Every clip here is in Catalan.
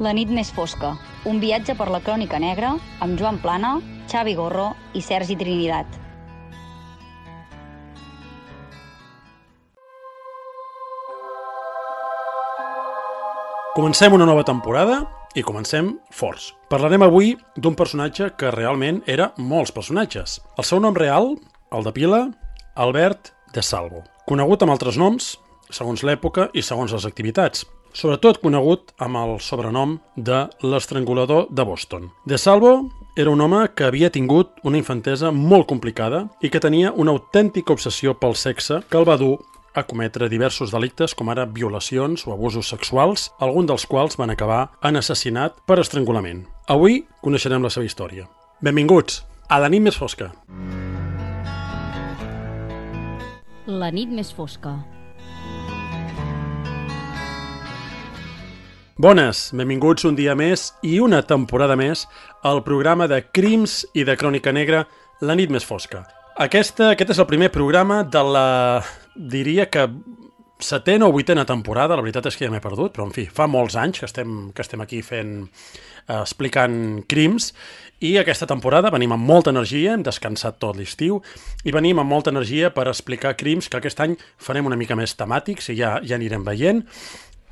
La nit més fosca, un viatge per la crònica negra amb Joan Plana, Xavi Gorro i Sergi Trinidad. Comencem una nova temporada i comencem forts. Parlarem avui d'un personatge que realment era molts personatges. El seu nom real, el de pila, Albert de Salvo. Conegut amb altres noms, segons l'època i segons les activitats. Sobretot conegut amb el sobrenom de l'estrangulador de Boston. De Salvo era un home que havia tingut una infantesa molt complicada i que tenia una autèntica obsessió pel sexe que el va dur a cometre diversos delictes com ara violacions o abusos sexuals, alguns dels quals van acabar en assassinat per estrangulament. Avui coneixerem la seva història. Benvinguts a La nit més fosca. La nit més fosca. Bones, benvinguts un dia més i una temporada més al programa de crims i de crònica negra La nit més fosca. Aquest és el primer programa de la, diria que, setena o vuitena temporada, la veritat és que ja m'he perdut, però en fi, fa molts anys que estem aquí explicant crims, i aquesta temporada venim amb molta energia, hem descansat tot l'estiu, i venim amb molta energia per explicar crims que aquest any farem una mica més temàtics i ja anirem veient.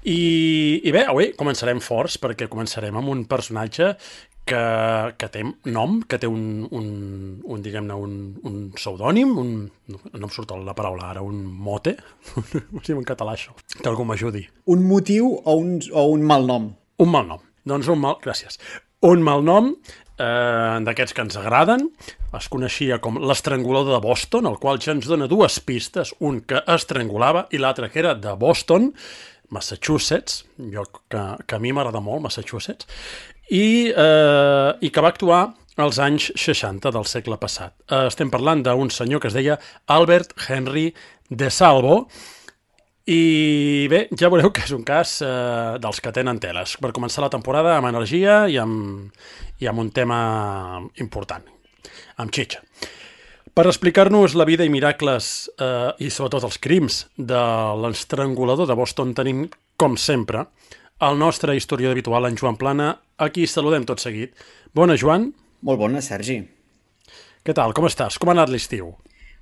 I bé, avui començarem forts perquè començarem amb un personatge que té nom, que té un pseudònim, no em surt la paraula ara, un mote, no sé en català això, que algú m'ajudi. Un motiu o un malnom? Un malnom, doncs gràcies. Un malnom d'aquests que ens agraden, es coneixia com l'estrangulador de Boston, el qual ja ens dona dues pistes, un que estrangulava i l'altre que era de Boston, Massachusetts, lloc que a mi m'agrada molt, Massachusetts, i que va actuar als anys 60 del segle passat. Estem parlant d'un senyor que es deia Albert Henry de Salvo, i bé, ja veureu que és un cas dels que tenen teles. Per començar la temporada amb energia i amb un tema important, amb xitxa. Per explicar-nos la vida i miracles i sobretot els crims de l'estrangulador de Boston tenim, com sempre, el nostre historiador habitual, en Joan Plana, a qui saludem tot seguit. Bona, Joan. Molt bona, Sergi. Què tal? Com estàs? Com ha anat l'estiu?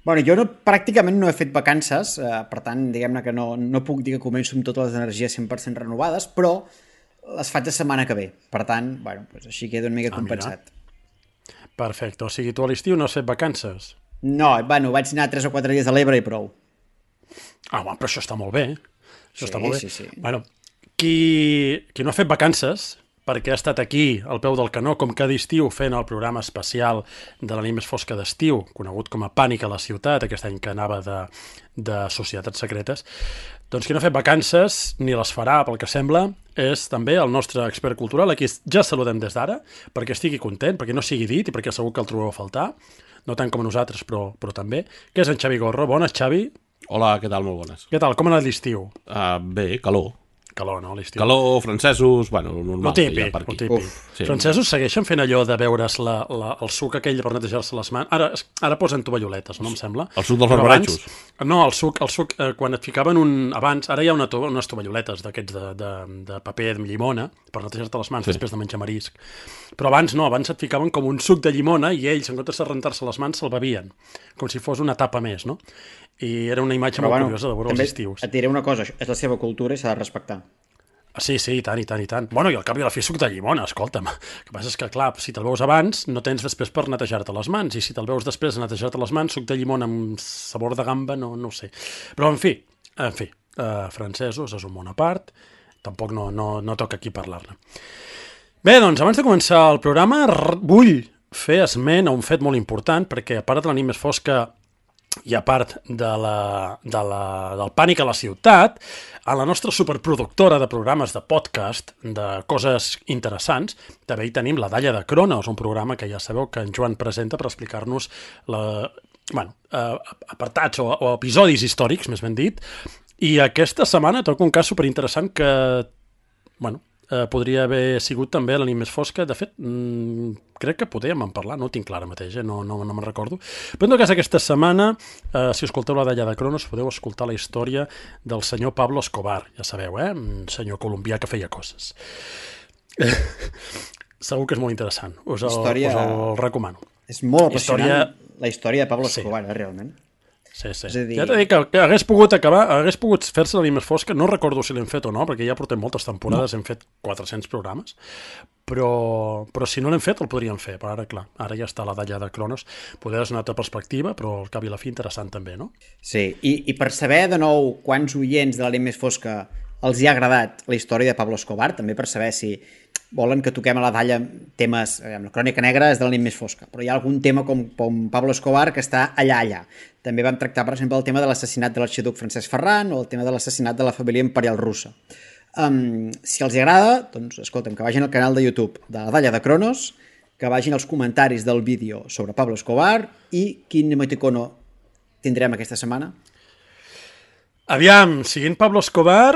Bueno, jo pràcticament no he fet vacances, per tant, diguem-ne que no puc dir que començo amb totes les energies 100% renovades, però les faig la setmana que ve. Per tant, bueno, doncs així quedo una mica compensat. Perfecte. O sigui, tu a l'estiu no has fet vacances? No, bueno, vaig anar 3 o 4 dies a l'Ebre i prou. Però això està molt bé. Està molt bé. Sí. Bueno, qui no ha fet vacances, perquè ha estat aquí, al peu del canó, com cada estiu, fent el programa especial de la nit més fosca d'estiu, conegut com a Pànic a la ciutat, aquest any que anava de societats secretes, doncs qui no ha fet vacances, ni les farà, pel que sembla, és també el nostre expert cultural, aquí ja saludem des d'ara, perquè estigui content, perquè no sigui dit i perquè segur que el trobeu a faltar, no tant com a nosaltres, però també, que és en Xavi Gorro. Bones, Xavi. Hola, què tal? Molt bones. Què tal? Com ha anat l'estiu? Bé, calor. Calor, no, l'estiu? Calor, francesos, bueno, normal. El típic. Sí. Francesos segueixen fent allò de veure's el suc aquell per netejar-se les mans. Ara posen tovalloletes, no em sembla? El suc dels barbaratxos? No, el suc, quan et ficaven abans, ara hi ha unes tovalloletes d'aquests de paper de llimona per netejar-te les mans després de menjar marisc. Però abans no, abans et ficaven com un suc de llimona i ells, en comptes de rentar-se les mans, se'l bevien, com si fos una tapa més, no? I era una imatge molt curiosa de veure els estius. Et diré una cosa, és la seva cultura i s'ha de respectar. Sí, i tant. Bueno, i al cap i a la fi suc de llimona, escolta'm. El que passa és que, clar, si te'l veus abans, no tens després per netejar-te les mans, i si te'l veus després de netejar-te les mans, suc de llimona amb sabor de gamba, no ho sé. Però, en fi, francesos és un món a part, tampoc no toca aquí parlar-ne. Bé, doncs, abans de començar el programa, vull fer esment a un fet molt important, perquè a part de la nit més fosca i a part del Pànic a la ciutat, a la nostra superproductora de programes de podcast, de coses interessants, també hi tenim la Dalla de Cronos, un programa que ja sabeu que en Joan presenta per explicar-nos apartats o episodis històrics, més ben dit, i aquesta setmana toca un cas superinteressant que, podria haver sigut també la nit més fosca. De fet, crec que podíem en parlar, no ho tinc clar ara mateix, no me'n recordo. Però en tot cas, aquesta setmana, si escolteu la Dalla de Cronos, podeu escoltar la història del senyor Pablo Escobar, ja sabeu, un senyor colombià que feia coses. Segur que és molt interessant. Us Història- el recomano. És molt apassionant Història- la història de Pablo Sí. Escobar, realment. Sí, sí. És a dir- Ja t'he dit que hagués pogut acabar, hagués pogut fer-se la més fosca, no recordo si l'hem fet o no, perquè ja portem moltes temporades, hem fet 400 programes, però si no l'hem fet el podríem fer, però ara, clar, ara ja està la dalla de Cronos, poder és una altra perspectiva, però al cap i la fi interessant també, no? Sí, i per saber de nou quants oients de l'àrea més fosca els hi ha agradat la història de Pablo Escobar, també per saber si volen que toquem a la dalla temes, la crònica negra és de l'àrea més fosca, però hi ha algun tema com Pablo Escobar que està allà. També vam tractar, per exemple, el tema de l'assassinat de l'arxiduc Francesc Ferran o el tema de l'assassinat de la família imperial russa. Si els hi agrada, doncs escolta'm, que vagin al canal de YouTube de la dalla de Cronos, que vagin als comentaris del vídeo sobre Pablo Escobar i quin emoticono tindrem aquesta setmana. Aviam, seguint Pablo Escobar,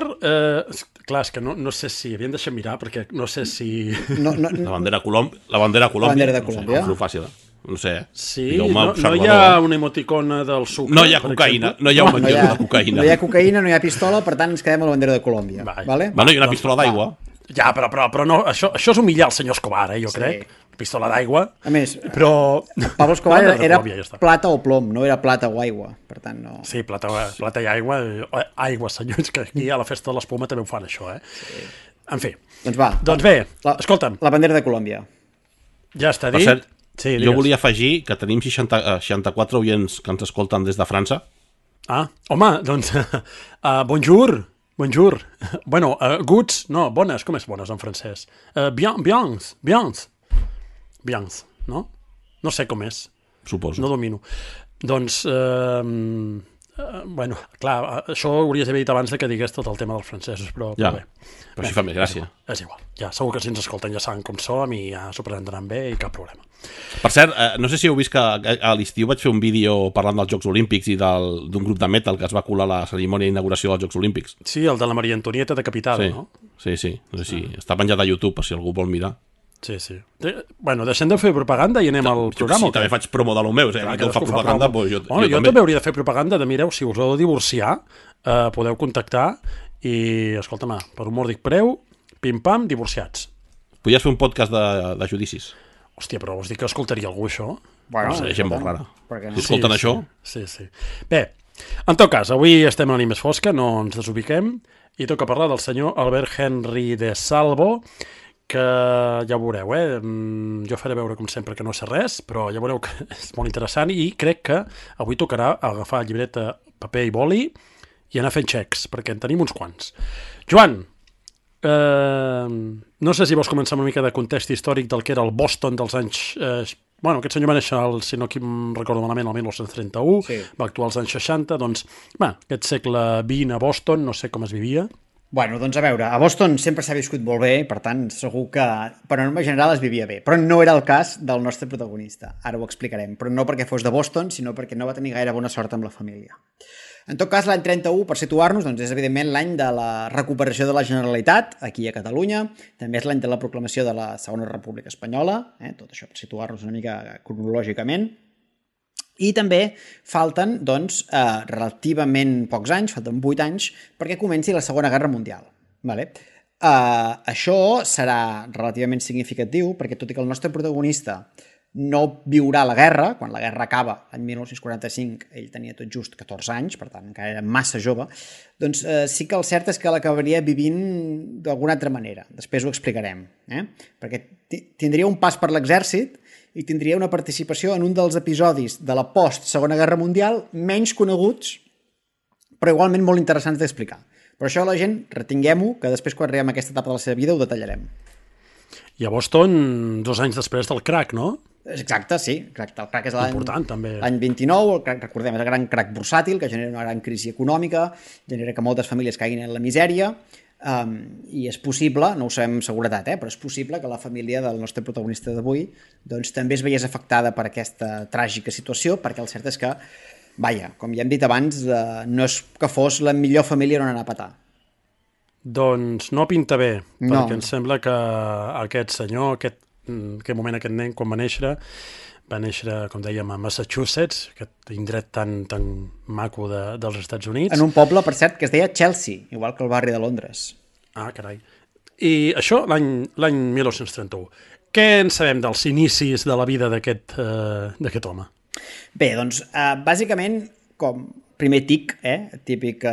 clar, és que no sé si, havien deixat mirar, perquè no sé si... La bandera de Colòmbia. La bandera de No Colòmbia. sé, és fàcil. No sé. Sí, Digueu-me, no hi observador. ha una emoticona del sucre. No hi ha per cocaïna. exemple? No hi ha un No hi menjador ha, de cocaïna. no hi ha cocaïna, no hi ha pistola, per tant ens quedem a la bandera de Colòmbia. Vale? Bueno, i una pistola d'aigua. Ja, però no, això és humillar el senyor Escobar, jo crec. Pistola d'aigua. A més, Però... Pablo Escobar La bandera de era Colòmbia, ja està. plata o plom, no era plata o aigua, per tant no... Sí, plata i aigua. Aigua, senyors, que aquí a la festa de l'espuma també ho fan, això, eh? Sí. En fi. Doncs va. Doncs bé, escolta'm, La bandera de Colòmbia. ja està Per dit. cert, Sí, jo digues. volia afegir que tenim 64 oients que ens escolten des de França. Ah, home, doncs... bonjour. Bueno, goods, no, bones, com és bones en francès? Biens, no? No sé com és, Suposo. no domino. Doncs, bueno, clar, això ho hauries d'haver dit abans de que digués tot el tema dels francesos, però Ja, bé. però així fa més gràcia. És igual, ja, segur que si ens escolten ja saben com som i ja s'ho prendran bé i cap problema. Per cert, no sé si heu vist que a l'estiu vaig fer un vídeo parlant dels Jocs Olímpics i d'un grup de metal que es va colar a la cerimònia d'inauguració dels Jocs Olímpics. Sí, el de la Maria Antonieta decapitada, Sí, no? sí. No sé si està penjat a YouTube, per si algú vol mirar. Sí. Bueno, deixem de fer propaganda i anem al programa. Sí, també faig promo de lo meu, que Cadascú fa propaganda, promo. doncs Bueno, jo també hauria de fer propaganda de, mireu, si us heu de divorciar, podeu contactar i, escolta'm, per un mòdic preu, pim-pam, divorciats. Podries fer un podcast de judicis. Hòstia, però vols dir que escoltaria algú això? Bueno, No sé, gent molt rara. perquè no? Si escolten això... Sí. Bé, en tot cas, avui estem a la nit més fosca, no ens desubiquem, i toca parlar del senyor Albert Henry de Salvo, que ja ho veureu, jo faré veure com sempre que no sé res, però ja veureu que és molt interessant i crec que avui tocarà agafar llibreta, paper i boli i anar fent xecs, perquè en tenim uns quants. Joan, no sé si vols començar una mica de context històric del que era el Boston dels anys... Bueno, aquest senyor va néixer, si no em recordo malament, el 1931, Sí. va actuar als anys 60, doncs, aquest segle XX a Boston, no sé com es vivia. Bueno, doncs a veure, a Boston sempre s'ha viscut molt bé, per tant, segur que per norma general es vivia bé, però no era el cas del nostre protagonista. Ara ho explicarem, però no perquè fos de Boston, sinó perquè no va tenir gaire bona sort amb la família. En tot cas, l'any 31, per situar-nos, doncs és evidentment l'any de la recuperació de la Generalitat, aquí a Catalunya, també és l'any de la proclamació de la Segona República Espanyola, tot això per situar-nos una mica cronològicament, i també falten, doncs, relativament pocs anys, falten 8 anys, perquè comenci la Segona Guerra Mundial. Vale? Això serà relativament significatiu, perquè tot i que el nostre protagonista no viurà la guerra, quan la guerra acaba l'any 1945, ell tenia tot just 14 anys, per tant encara era massa jove, doncs sí que el cert és que l'acabaria vivint d'alguna altra manera. Després ho explicarem, perquè tindria un pas per l'exèrcit i tindria una participació en un dels episodis de la post-Segona Guerra Mundial menys coneguts, però igualment molt interessants d'explicar. Però això la gent, retinguem-ho, que després quan arribem a aquesta etapa de la seva vida ho detallarem. I a Boston, 2 anys després del crack, no? Exacte, sí. Exacte. El crack és Important, també. l'any 29, el crack, recordem, és el gran crack bursàtil, que genera una gran crisi econòmica, genera que moltes famílies caiguin en la misèria, i és possible, no ho sabem amb seguretat, però és possible que la família del nostre protagonista d'avui doncs, també es veiés afectada per aquesta tràgica situació, perquè el cert és que, vaja, com ja hem dit abans, no és que fos la millor família on anar a petar. Doncs no pinta bé, No. perquè em sembla que aquest senyor, aquest moment, aquest nen, quan va néixer, com dèiem, a Massachusetts, aquest indret tan maco dels Estats Units. En un poble, per cert, que es deia Chelsea, igual que el barri de Londres. Ah, carai. I això l'any 1931. Què en sabem dels inicis de la vida d'aquest home? Bé, doncs, bàsicament, com primer tic, típic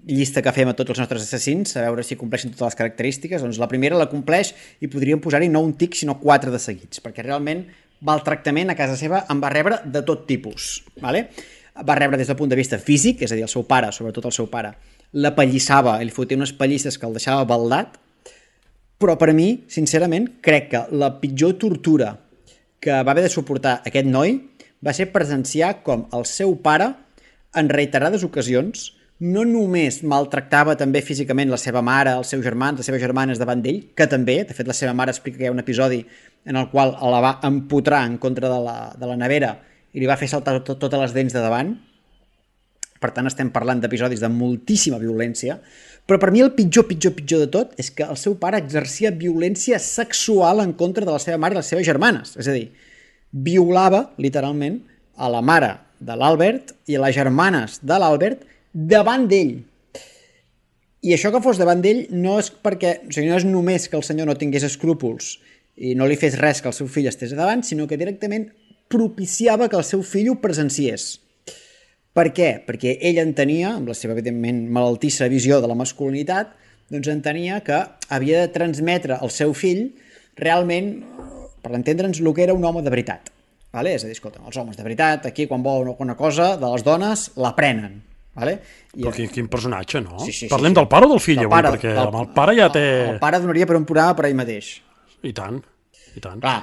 llista que fem a tots els nostres assassins, a veure si compleixen totes les característiques, doncs la primera la compleix i podríem posar-hi no un tic, sinó 4 de seguits, perquè realment maltractament a casa seva en va rebre de tot tipus. Vale? Va rebre des del punt de vista físic, és a dir, el seu pare, sobretot el seu pare, l'apallissava, li fotia unes pallisses que el deixava baldat, però per mi, sincerament, crec que la pitjor tortura que va haver de suportar aquest noi va ser presenciar com el seu pare, en reiterades ocasions, no només maltractava també físicament la seva mare, els seus germans, les seves germanes davant d'ell, que també, de fet la seva mare explica que hi ha un episodi en el qual la va empotrar en contra de la nevera i li va fer saltar totes les dents de davant. Per tant, estem parlant d'episodis de moltíssima violència, però per mi el pitjor de tot és que el seu pare exercia violència sexual en contra de la seva mare i les seves germanes. És a dir, violava, literalment, a la mare de l'Albert i a les germanes de l'Albert davant d'ell. I això que fos davant d'ell no és perquè, o sigui, no és només que el senyor no tingués escrúpols i no li fes res que el seu fill estés davant, sinó que directament propiciava que el seu fill ho presenciés. Per què? Perquè ell entenia, amb la seva, evidentment, malaltissa visió de la masculinitat, doncs entenia que havia de transmetre al seu fill realment, per entendre'ns, el que era un home de veritat. Vale? És a dir, escolta, els homes de veritat, aquí quan volen alguna cosa de les dones, l'aprenen. Vale? Però quin personatge, no? Sí. Parlem del pare o del fill avui? Perquè amb el pare ja té... El pare donaria per un programa per ell mateix. I tant. Clar,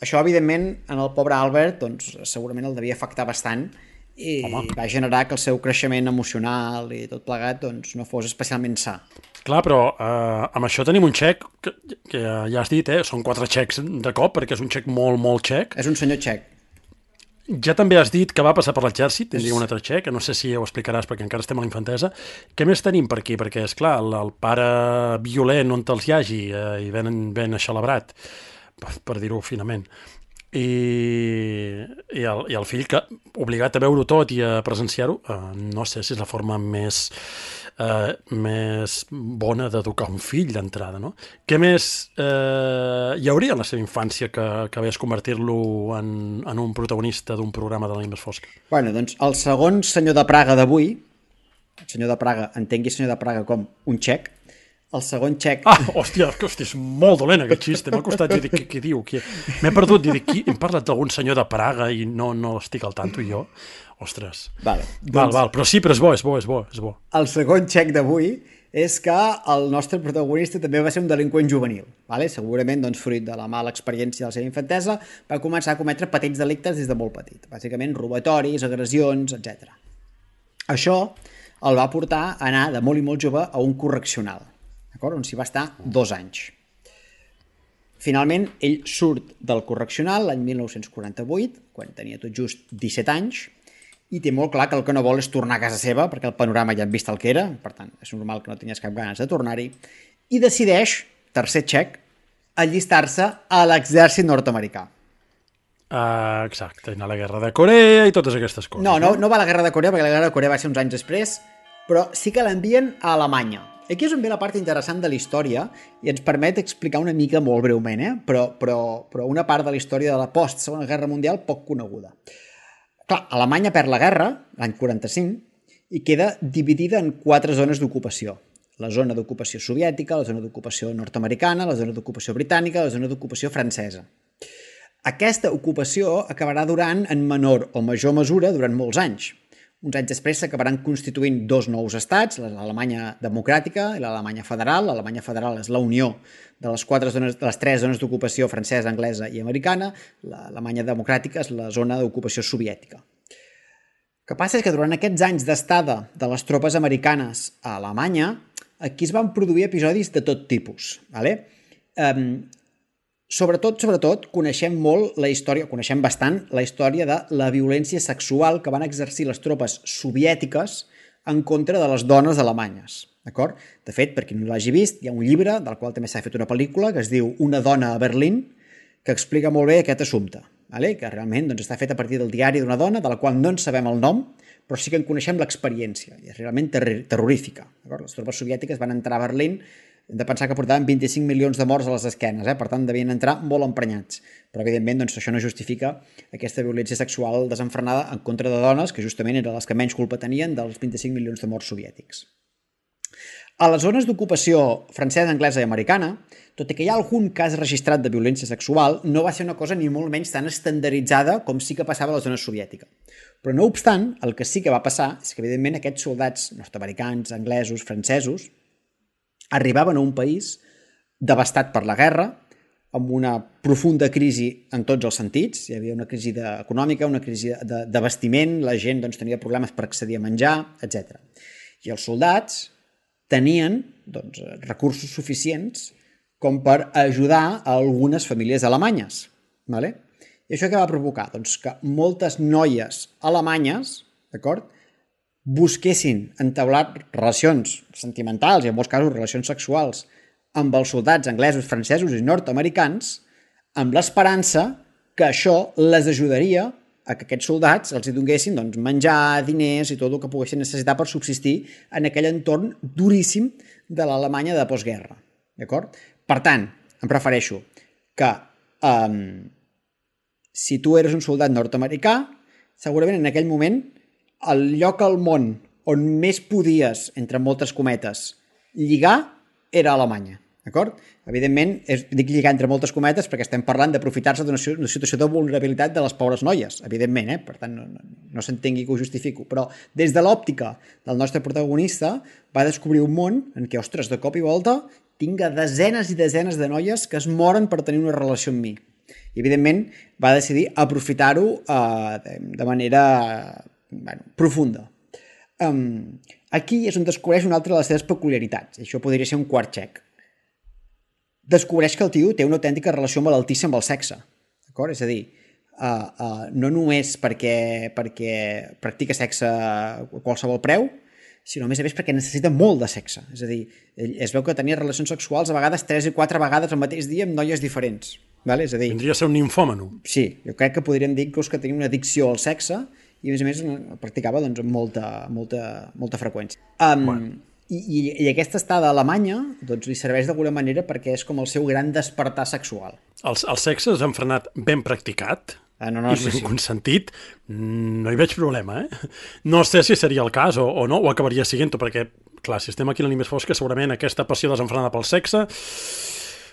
això, evidentment, en el pobre Albert, doncs, segurament el devia afectar bastant i va generar que el seu creixement emocional i tot plegat doncs, no fos especialment sa. Clar, però amb això tenim un xec, que ja has dit, són 4 xecs de cop, perquè és un xec molt, molt xec. És un senyor xec. Ja també has dit que va passar per l'exèrcit, tindria un altre xec, que no sé si ho explicaràs perquè encara estem a la infantesa. Què més tenim per aquí? Perquè, esclar, el pare violent on te'ls hi hagi i ben aixelebrat, per dir-ho finament, i el fill que, obligat a veure-ho tot i a presenciar-ho, no sé si és la forma més bona d'educar un fill d'entrada, no? Què més hi hauria en la seva infància que acabés convertir-lo en un protagonista d'un programa de la nit més fosca? Bueno, doncs el segon senyor de Praga d'avui, el senyor de Praga, entengui senyor de Praga com un xec, el segon xec... Hòstia, és molt dolent aquest xiste, m'ha costat dir què diu. M'he perdut, hem parlat d'algun senyor de Praga i no estic al tanto jo. Ostres. Val, però sí, però és bo. El segon xec d'avui és que el nostre protagonista també va ser un delinqüent juvenil. Vale? Segurament, doncs, fruit de la mala experiència de la seva infantesa, va començar a cometre petits delictes des de molt petit. Bàsicament, robatoris, agressions, etc. Això el va portar a anar de molt i molt jove a un correccional, on s'hi va estar 2 anys. Finalment, ell surt del correccional l'any 1948, quan tenia tot just 17 anys, i té molt clar que el que no vol és tornar a casa seva, perquè el panorama ja hem vist el que era, per tant, és normal que no tingués cap ganes de tornar-hi, i decideix, tercer xec, allistar-se a l'exèrcit nord-americà. Exacte, anar a la guerra de Corea i totes aquestes coses. No va a la guerra de Corea, perquè la guerra de Corea va ser uns anys després, però sí que l'envien a Alemanya. Aquí és on ve la part interessant de la història i ens permet explicar una mica molt breument, però una part de la història de la post-Segona Guerra Mundial poc coneguda. Clar, Alemanya perd la guerra, l'any 45, i queda dividida en 4 zones d'ocupació. La zona d'ocupació soviètica, la zona d'ocupació nord-americana, la zona d'ocupació britànica, la zona d'ocupació francesa. Aquesta ocupació acabarà durant, en menor o major mesura, durant molts anys. Uns anys després s'acabaran constituint 2 nous estats, l'Alemanya democràtica i l'Alemanya federal. L'Alemanya federal és la unió de les 3 zones d'ocupació francesa, anglesa i americana. L'Alemanya democràtica és la zona d'ocupació soviètica. El que passa és que durant aquests anys d'estada de les tropes americanes a Alemanya, aquí es van produir episodis de tot tipus. Vale? Sobretot, coneixem bastant la història de la violència sexual que van exercir les tropes soviètiques en contra de les dones alemanyes. D'acord? De fet, per qui no l'hagi vist, hi ha un llibre, del qual també s'ha fet una pel·lícula, que es diu Una dona a Berlín, que explica molt bé aquest assumpte, que realment està fet a partir del diari d'una dona, de la qual no en sabem el nom, però sí que en coneixem l'experiència, i és realment terrorífica. Les tropes soviètiques van entrar a Berlín hem de pensar que portaven 25 milions de morts a les esquenes, per tant devien entrar molt emprenyats. Però evidentment doncs, això no justifica aquesta violència sexual desenfrenada en contra de dones, que justament eren les que menys culpa tenien dels 25 milions de morts soviètics. A les zones d'ocupació francesa, anglesa i americana, tot i que hi ha algun cas registrat de violència sexual, no va ser una cosa ni molt menys tan estandarditzada com sí que passava a la zona soviètica. Però no obstant, el que sí que va passar és que evidentment aquests soldats nord-americans, anglesos, francesos, arribaven a un país devastat per la guerra, amb una profunda crisi en tots els sentits. Hi havia una crisi econòmica, una crisi d'abastiment, la gent doncs, tenia problemes per accedir a menjar, etc. I els soldats tenien doncs, recursos suficients com per ajudar a algunes famílies alemanyes. Vale? I això què va provocar? Doncs que moltes noies alemanyes, d'acord, busquessin entablar relacions sentimentals i en molts casos relacions sexuals amb els soldats anglesos, francesos i nord-americans amb l'esperança que això les ajudaria a que aquests soldats els hi donguessin doncs, menjar, diners i tot el que poguessin necessitar per subsistir en aquell entorn duríssim de l'Alemanya de postguerra. D'acord? Per tant, em prefereixo que si tu eres un soldat nord-americà, segurament en aquell moment el lloc al món on més podies, entre moltes cometes, lligar era Alemanya. D'acord? Evidentment, dic lligar entre moltes cometes perquè estem parlant d'aprofitar-se d'una situació de vulnerabilitat de les pobres noies, evidentment, per tant no s'entengui que ho justifico, però des de l'òptica del nostre protagonista va descobrir un món en què, ostres, de cop i volta tinga desenes i desenes de noies que es moren per tenir una relació amb mi. I evidentment va decidir aprofitar-ho de manera profunda. Aquí és on descobreix una altra de les seves peculiaritats, i això podria ser un quart xec. Descobreix que el tio té una autèntica relació malaltissa amb el sexe. D'acord? És a dir, no només perquè practica sexe a qualsevol preu, sinó a més perquè necessita molt de sexe. És a dir, es veu que tenia relacions sexuals a vegades 3 i 4 vegades al mateix dia amb noies diferents. Vale? És a dir, vindria a ser un nimfòmeno. Sí, jo crec que podríem dir que tenia una addicció al sexe i a més el practicava doncs, amb molta freqüència. I aquesta estada a Alemanya doncs, li serveix d'alguna manera perquè és com el seu gran despertar sexual. El sexe desenfrenat ben practicat i ben consentit, no hi veig problema, No sé si seria el cas o no, o acabaria siguent-ho, perquè, clar, si estem aquí a la nit més fosca, segurament aquesta passió desenfrenada pel sexe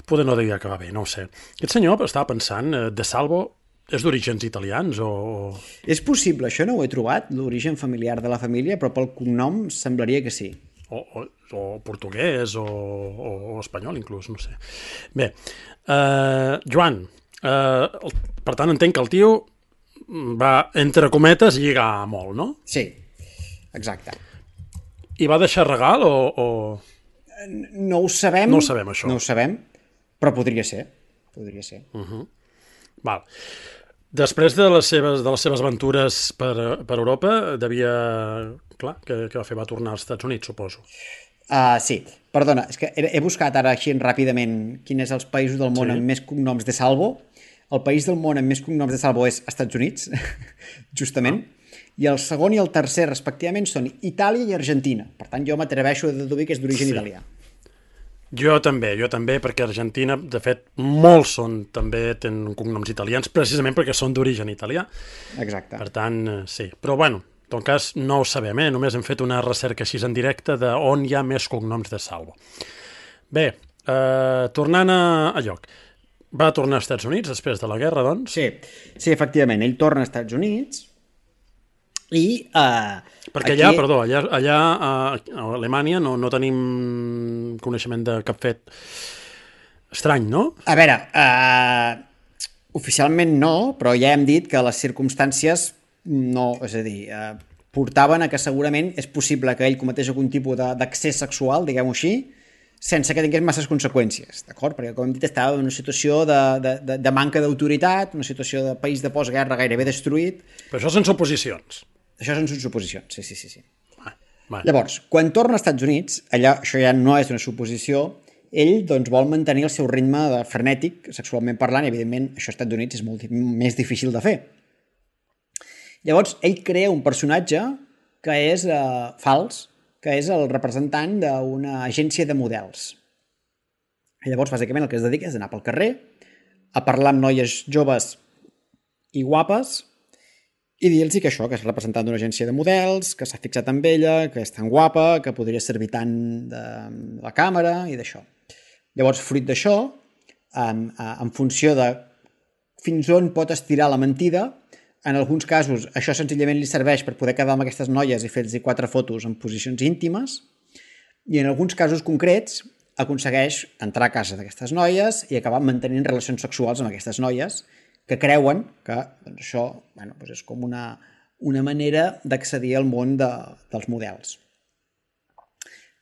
poder no devia acabar bé, no ho sé. Aquest senyor estava pensant, De Salvo és d'orígens italians o... És possible, això no ho he trobat, l'origen familiar de la família, però pel cognom semblaria que sí. O portuguès o espanyol inclús, no sé. Bé, Joan, per tant entenc que el tio va, entre cometes, lligar molt, no? Sí, exacte. I va deixar regal o... No ho sabem. No ho sabem, això. No ho sabem, però podria ser. Podria ser. Val. Després de les seves aventures per Europa, devia... Clar, què va fer? Va tornar als Estats Units, suposo. Sí. Perdona, és que he buscat ara així ràpidament quins són els països del món amb més cognoms de Salvo. El país del món amb més cognoms de Salvo és Estats Units, justament. I el segon i el tercer, respectivament, són Itàlia i Argentina. Per tant, jo m'atreveixo a deduir que és d'origen italià. Jo també, perquè Argentina, de fet, molts també tenen cognoms italians, precisament perquè són d'origen italià. Exacte. Per tant, sí. Però, bueno, en tot cas, no ho sabem, només hem fet una recerca així en directe d'on hi ha més cognoms de Salvo. Bé, tornant a lloc. Va tornar als Estats Units després de la guerra, doncs? Sí, efectivament. Ell torna als Estats Units i... Perquè allà, allà a Alemanya no tenim coneixement de cap fet estrany, no? A veure, oficialment no, però ja hem dit que les circumstàncies no, és a dir, portaven a que segurament és possible que ell cometés algun tipus d'accés sexual, diguem-ho així, sense que tingués masses conseqüències, d'acord? Perquè, com hem dit, estava en una situació de manca d'autoritat, una situació de país de postguerra gairebé destruït. Però això són suposicions. Això són suposicions, sí. Vale. Llavors, quan torna als Estats Units, allà això ja no és una suposició, ell doncs, vol mantenir el seu ritme frenètic, sexualment parlant, i evidentment això als Estats Units és molt més difícil de fer. Llavors, ell crea un personatge que és fals, que és el representant d'una agència de models. I llavors, bàsicament, el que es dedica és anar pel carrer a parlar amb noies joves i guapes i dir-los que això, que és representant d'una agència de models, que s'ha fixat amb ella, que és tan guapa, que podria servir tant de la càmera i d'això. Llavors, fruit d'això, en funció de fins on pot estirar la mentida, en alguns casos això senzillament li serveix per poder quedar amb aquestes noies i fer-los 4 fotos en posicions íntimes, i en alguns casos concrets aconsegueix entrar a casa d'aquestes noies i acabar mantenint relacions sexuals amb aquestes noies que creuen que doncs, això és com una manera d'accedir al món dels models.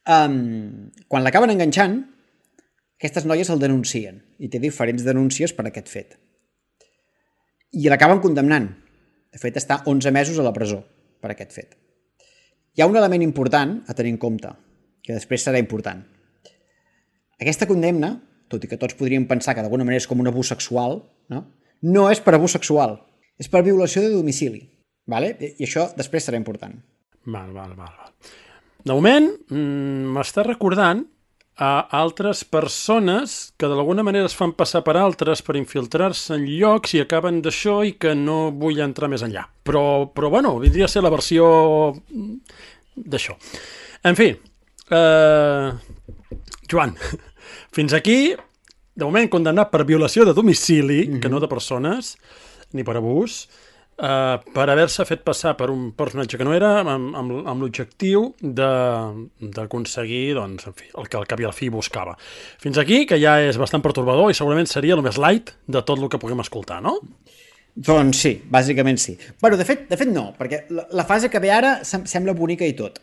Quan l'acaben enganxant, aquestes noies el denuncien i té diferents denúncies per aquest fet. I l'acaben condemnant. De fet, està 11 mesos a la presó per aquest fet. Hi ha un element important a tenir en compte, que després serà important. Aquesta condemna, tot i que tots podríem pensar que d'alguna manera és com un abús sexual, no és per abús sexual, és per violació de domicili. Vale? I això després serà important. Val. De moment, m'està recordant a altres persones que d'alguna manera es fan passar per altres per infiltrar-se en llocs i acaben d'això i que no vull entrar més enllà. Però bueno, vindria a ser la versió d'això. En fi, Joan, fins aquí, de moment condemnat per violació de domicili, que no de persones, ni per abús, per haver-se fet passar per un personatge que no era, amb l'objectiu d'aconseguir, doncs, en fi, el que al cap i al fi buscava. Fins aquí, que ja és bastant pertorbador i segurament seria el més light de tot el que puguem escoltar, no? Doncs sí, bàsicament sí. Bueno, de fet no, perquè la fase que ve ara sembla bonica i tot.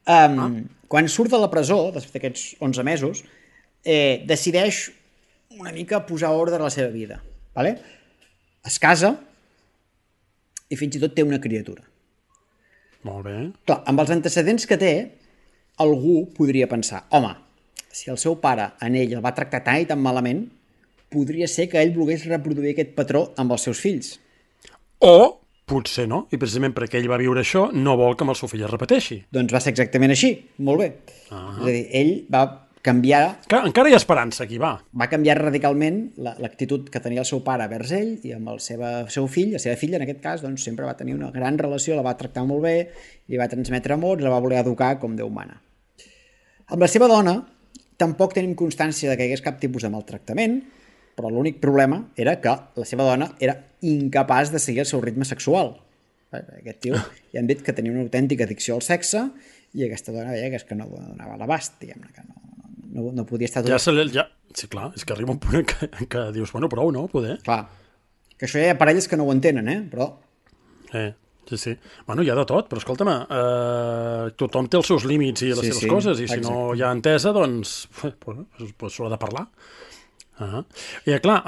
Quan surt de la presó, després d'aquests 11 mesos, decideix una mica posar ordre a la seva vida. Vale? Es casa i fins i tot té una criatura. Molt bé. Clar, amb els antecedents que té, algú podria pensar, home, si el seu pare en ell el va tractar tan i tan malament, podria ser que ell volgués reproduir aquest patró amb els seus fills. O potser no, i precisament perquè ell va viure això, no vol que amb el seu fill es repeteixi. Doncs va ser exactament així, molt bé. És a dir, ell va canviar... Encara hi ha esperança aquí, va. Va canviar radicalment l'actitud que tenia el seu pare vers ell i amb el seu fill, la seva filla en aquest cas, doncs sempre va tenir una gran relació, la va tractar molt bé, li va transmetre amor i la va voler educar com Déu mana. Amb la seva dona tampoc tenim constància de que hi hagués cap tipus de maltractament, però l'únic problema era que la seva dona era incapaç de seguir el seu ritme sexual. Aquest tio ja han dit que tenia una autèntica addicció al sexe i aquesta dona deia que és que no donava l'abast, diguem-ne, que no podia estar tot... Sí, clar, és que arriba un punt que dius, bueno, prou, no? Poder. Clar, que això hi ha parelles que no ho entenen, però... Sí. Bueno, hi ha de tot, però escolta'm, tothom té els seus límits i les seves coses, i si no hi ha entesa, doncs s'ho ha de parlar. I clar,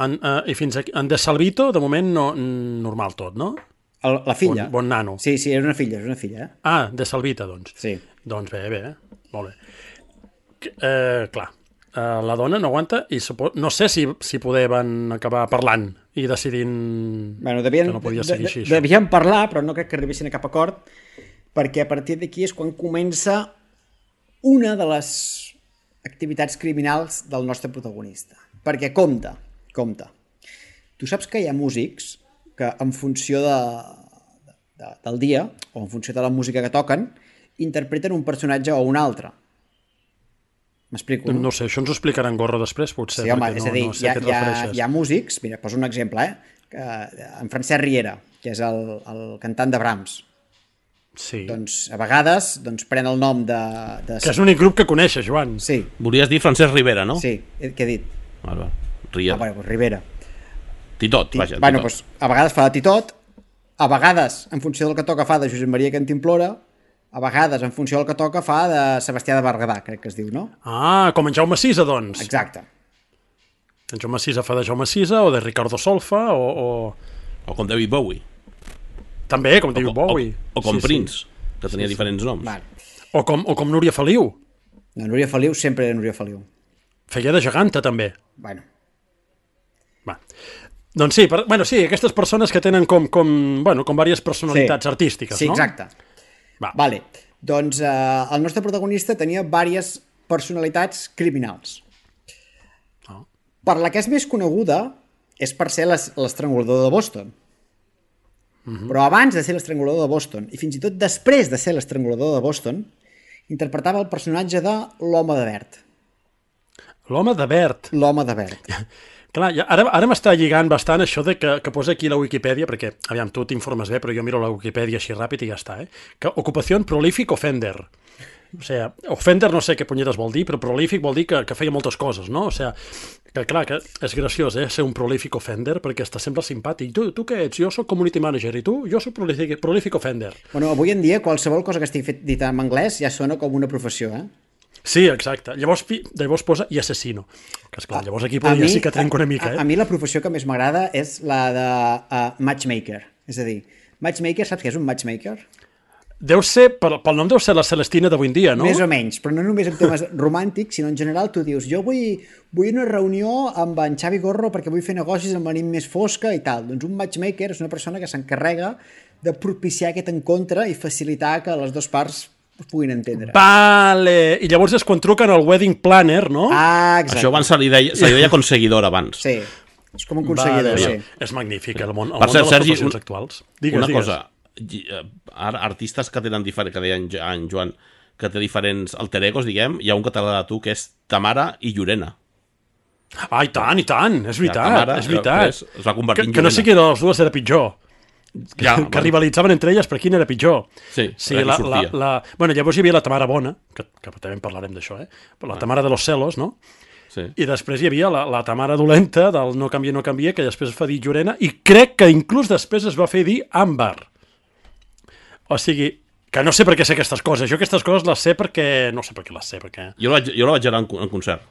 i fins aquí, en De Salvito, de moment, normal tot, no? La filla. Bon nano. Sí, és una filla, De Salvita, doncs. Sí. Doncs bé, molt bé. Clar, la dona no aguanta i no sé si poder van acabar parlant i decidint que no podia seguir així. Devien parlar, però no crec que arribessin a cap acord, perquè a partir d'aquí és quan comença una de les activitats criminals del nostre protagonista. Perquè compte. Tu saps que hi ha músics que en funció del dia o en funció de la música que toquen interpreten un personatge o un altre. M'explico, no? No sé, això ens ho explicarà en Gorro després, potser. Sí, home, és a dir, no sé a què et refereixes. hi ha músics, mira, poso un exemple, en Francesc Riera, que és el cantant de Brahms. Sí. Doncs a vegades pren el nom de... Que és l'únic grup que coneixes, Joan. Sí. Volies dir Francesc Rivera, no? Sí, què he dit? Riera. Doncs Rivera. Titot, vaja. Bueno, doncs a vegades fa de Titot, a vegades, en funció del que toca, fa de Josep Maria Cantimplora, a vegades, en funció del que toca, fa de Sebastià de Berguedà, crec que es diu, no? Com en Jaume Sisa, doncs. Exacte. En Jaume Sisa fa de Jaume Sisa, o de Ricardo Solfa, O com David Bowie. També, com David Bowie. O com Prince, que tenia diferents noms. Vale. O com Núria Feliu. No, Núria Feliu sempre era Núria Feliu. Feia de geganta, també. Bueno. Va. Doncs sí, aquestes persones que tenen com diverses personalitats artístiques, sí, no? Sí, exacte. Vale. Doncs el nostre protagonista tenia diverses personalitats criminals. Per la que és més coneguda és per ser l'estrangulador de Boston. Però abans de ser l'estrangulador de Boston, i fins i tot després de ser l'estrangulador de Boston, interpretava el personatge de l'Home de Verd. L'Home de Verd. L'Home de Verd. Clar, ara m'està lligant bastant això de que posa aquí la Wikipedia, perquè, aviam, tu t'informes bé, però jo miro la Wikipedia així ràpid i ja està, que ocupació prolífic offender. O sigui, offender no sé què punyetes vol dir, però prolífic vol dir que feia moltes coses, no? O sigui, que clar, que és graciós, ser un prolífic offender, perquè està sempre simpàtic. Tu què ets? Jo soc community manager, i tu? Jo soc prolífic offender. Bueno, avui en dia qualsevol cosa que estigui dit en anglès ja sona com una professió, Sí, exacte. Llavors posa i assassino. Que esclar, llavors aquí podria sí que trenco una mica, A mi la professió que més m'agrada és la de matchmaker. És a dir, matchmaker, saps què és un matchmaker? Deu ser, pel nom deu ser la Celestina d'avui en dia, no? Més o menys, però no només en temes romàntics, sinó en general tu dius, jo vull una reunió amb en Xavi Gorro perquè vull fer negocis amb la nit més fosca i tal. Doncs un matchmaker és una persona que s'encarrega de propiciar aquest encontre i facilitar que les dues parts es puguin entendre. Vale! I llavors és quan truquen al wedding planner, no? Ah, exacte. Això abans se li deia conseguidor abans. Sí, és com un conseguidor, vale. sí. És magnífic, el món Per cert, de les Sergi, professions actuals. Digues. Cosa, artistes que tenen diferents, que deia en Joan, que té diferents alter egos, diguem, hi ha un que t'agrada a tu, que és Tamara i Llorena. Ah, i tant, és veritat, Tamara, és veritat. Es va convertir en que no Llorena. sé qui de les dues era pitjor. Que rivalitzaven entre elles, però quin era pitjor. Sí, era qui sortia. Bueno, llavors hi havia la Tamara Bona, que també en parlarem d'això, però la Tamara de los celos, no? Sí. I després hi havia la Tamara dolenta del no canvia, que després es fa dir Llorena, i crec que inclús després es va fer dir Àmbar. O sigui, que no sé per què sé aquestes coses. Jo aquestes coses les sé perquè... No sé per què les sé, perquè... Jo la vaig veure en concert.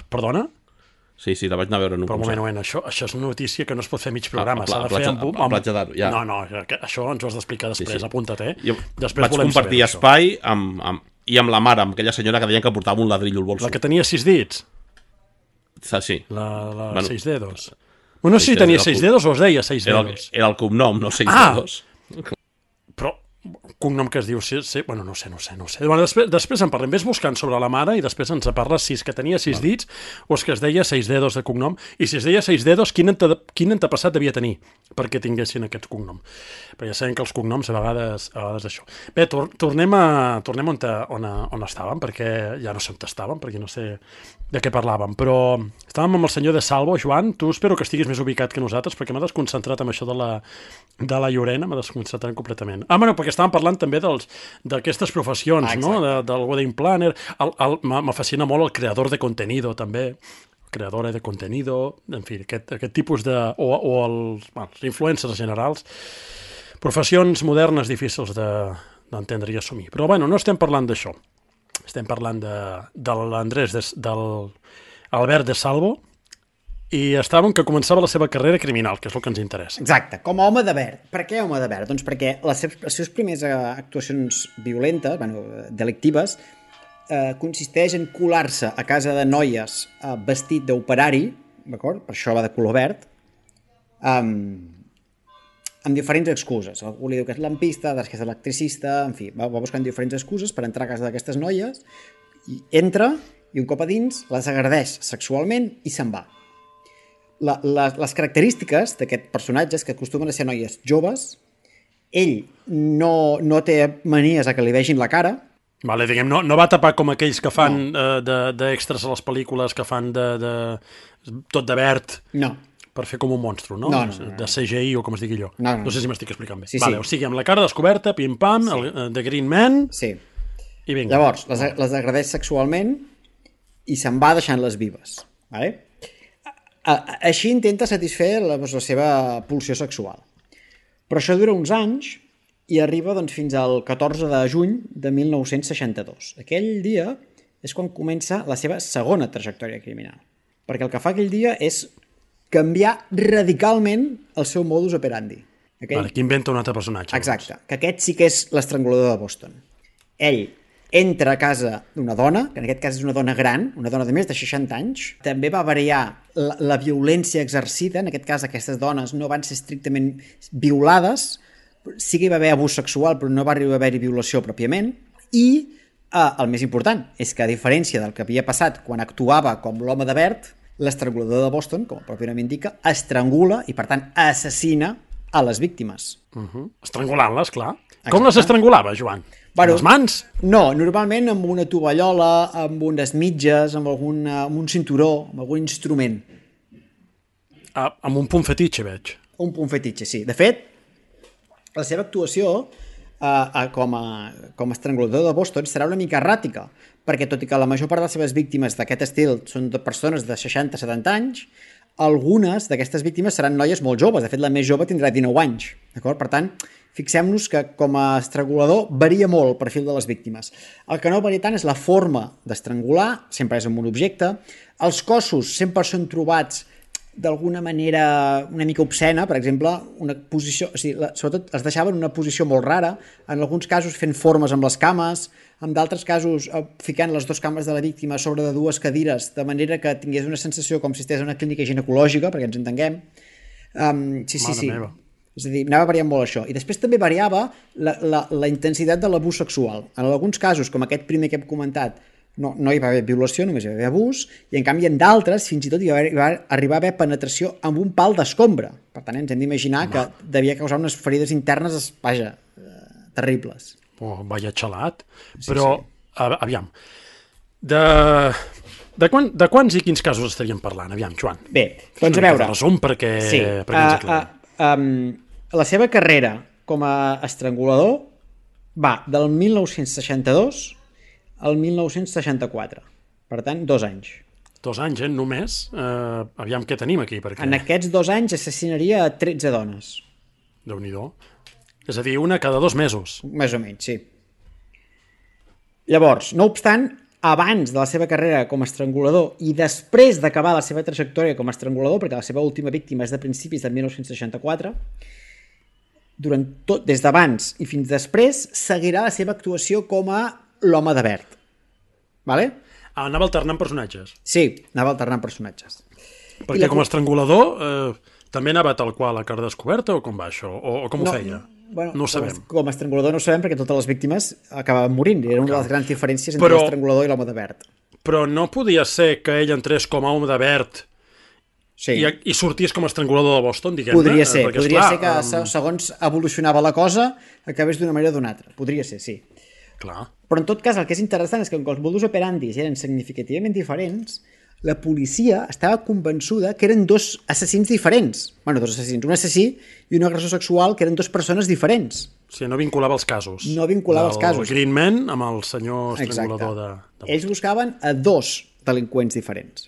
Perdona? Sí, la vaig anar a veure en un concert. Però un moment, això és una notícia que no es pot fer mig programa. S'ha de fer a Platja d'Aro, ja. No, això ens ho has d'explicar després, Sí. Apunta't, Jo després vaig compartir espai i amb la mare, amb aquella senyora que deien que portava un ladrillo al bolso. La que tenia 6 dits? Sí. La 6 dedos. No sé si tenia 6 dedos o es deia 6 dedos. Era el cognom, no 6 dedos. Però cognom que es diu... Bueno, no sé. Bueno, després en parlem. Ves buscant sobre la mare i després ens parles si és que tenia 6 dits o és que es deia 6 dedos de cognom. I si es deia 6 dedos, quin antepassat devia tenir perquè tinguessin aquest cognom. Però ja sabem que els cognoms a vegades això. Bé, tornem on estàvem, perquè ja no sé on estàvem, perquè no sé de què parlàvem, però estàvem amb el senyor de Salvo. Joan, tu espero que estiguis més ubicat que nosaltres, perquè m'ha desconcentrat amb això de la Llorena, m'ha desconcentrat completament. Bueno, perquè estàvem parlant també d'aquestes professions, no? Del wedding planner. Me fascina molt el creador de contenido, també. Creadora de contenido, en fi, aquest tipus de... o els influencers generals. Professions modernes difícils d'entendre i assumir. Però, bueno, no estem parlant d'això. Estem parlant de l'Andrés, del Albert de Salvo, i estàvem que començava la seva carrera criminal, que és el que ens interessa. Exacte, com a home de verd. Per què home de verd? Doncs perquè les seves primeres actuacions violentes, delictives, consisteix en colar-se a casa de noies vestit d'operari, d'acord? Per això va de color verd, amb diferents excuses. Algú li diu que és lampista, que és electricista, en fi, va buscant diferents excuses per entrar a casa d'aquestes noies, i entra, i un cop a dins les agredeix sexualment i se'n va. Les característiques d'aquest personatge és que acostumen a ser noies joves, ell no té manies a que li vegin la cara. Vale, diguem, no va tapar com aquells que fan d'extras a les pel·lícules, que fan tot de verd. No. Per fer com un monstru, no? No. De CGI o com es digui allò. No sé si m'estic explicant bé. Sí. O sigui, amb la cara descoberta, pim-pam, de Green Man, sí. I vinga. Llavors, les agredeix sexualment i se'n va deixant-les vives. Vale? Així intenta satisfer la seva pulsió sexual. Però això dura uns anys i arriba fins al 14 de juny de 1962. Aquell dia és quan comença la seva segona trajectòria criminal. Perquè el que fa aquell dia és canviar radicalment el seu modus operandi. Vale, que inventa un altre personatge. Exacte, que aquest sí que és l'estrangulador de Boston. Ell entra a casa d'una dona, que en aquest cas és una dona gran, una dona de més de 60 anys. També va variar la violència exercida. En aquest cas, aquestes dones no van ser estrictament violades. Sí que hi va haver abús sexual, però no va arribar a haver-hi violació pròpiament. I el més important és que, a diferència del que havia passat quan actuava com l'home de verd, L'estrangulador de Boston, com el propi nom indica, estrangula i, per tant, assassina a les víctimes. Estrangulant-les, clar. Com les estrangulava, Joan? Bueno, Les mans? No, normalment amb una tovallola, amb unes mitges, amb un cinturó, amb algun instrument. Amb un punt fetitxe, veig. Un punt fetitxe, sí. De fet, la seva actuació com a estrangulador de Boston serà una mica erràtica, perquè tot i que la major part de les seves víctimes d'aquest estil són de persones de 60-70 anys, algunes d'aquestes víctimes seran noies molt joves. De fet, la més jove tindrà 19 anys. D'acord? Per tant, fixem-nos que com a estrangulador varia molt el perfil de les víctimes. El que no varia tant és la forma d'estrangular, sempre és amb un objecte. Els cossos sempre són trobats d'alguna manera una mica obscena, per exemple, una posició, o sigui, sobretot es deixaven en una posició molt rara, en alguns casos fent formes amb les cames, en d'altres casos ficant les dues cames de la víctima sobre de dues cadires, de manera que tingués una sensació com si estigués en una clínica ginecològica, perquè ens entenguem. Sí. Meva. És a dir, anava variant molt això. I després també variava la intensitat de l'abús sexual. En alguns casos, com aquest primer que hem comentat, no hi va haver violació, només hi va haver abús, i en canvi en d'altres fins i tot hi va arribar a haver penetració amb un pal d'escombra. Per tant, ens hem d'imaginar que devia causar unes ferides internes, vaja, terribles. Vaya xalat. Però, aviam, de quants i quins casos estaríem parlant? Aviam, Joan. Bé, doncs a veure. Resum perquè ens aclarem. La seva carrera com a estrangulador va del 1962 al 1964. Per tant, 2 anys. 2 anys, només? Aviam què tenim aquí. Perquè... En aquests 2 anys assassinaria a 13 dones. Déu-n'hi-do. És a dir, una cada 2 mesos. Més o menys, sí. Llavors, no obstant, abans de la seva carrera com a estrangulador i després d'acabar la seva trajectòria com a estrangulador, perquè la seva última víctima és de principis de 1964, des d'abans i fins després, seguirà la seva actuació com a l'home de verd. Vale? Anava alternant personatges. Sí, anava alternant personatges. Perquè com a estrangulador també anava tal qual a cara descoberta o com va això? O com ho feia? Bueno, no ho sabem. Com a estrangulador no ho sabem perquè totes les víctimes acabaven morint. Era una de les grans diferències entre l'estrangulador i l'home de verd. Però no podia ser que ell entrés com a home de verd i sortís com a estrangulador de Boston, diguem-ne? Podria ser que segons evolucionava la cosa acabés d'una manera o d'una altra. Podria ser, sí. Clar. Però en tot cas el que és interessant és que com que els modus operandi eren significativament diferents, la policia estava convençuda que eren 2 assassins diferents. Bueno, 2 assassins, un assassí i un agressor sexual que eren 2 persones diferents. Sí, no vinculava els casos. No vinculava els casos. El Green Man amb el senyor estrangulador de Boston. Ells buscaven a 2 delinqüents diferents.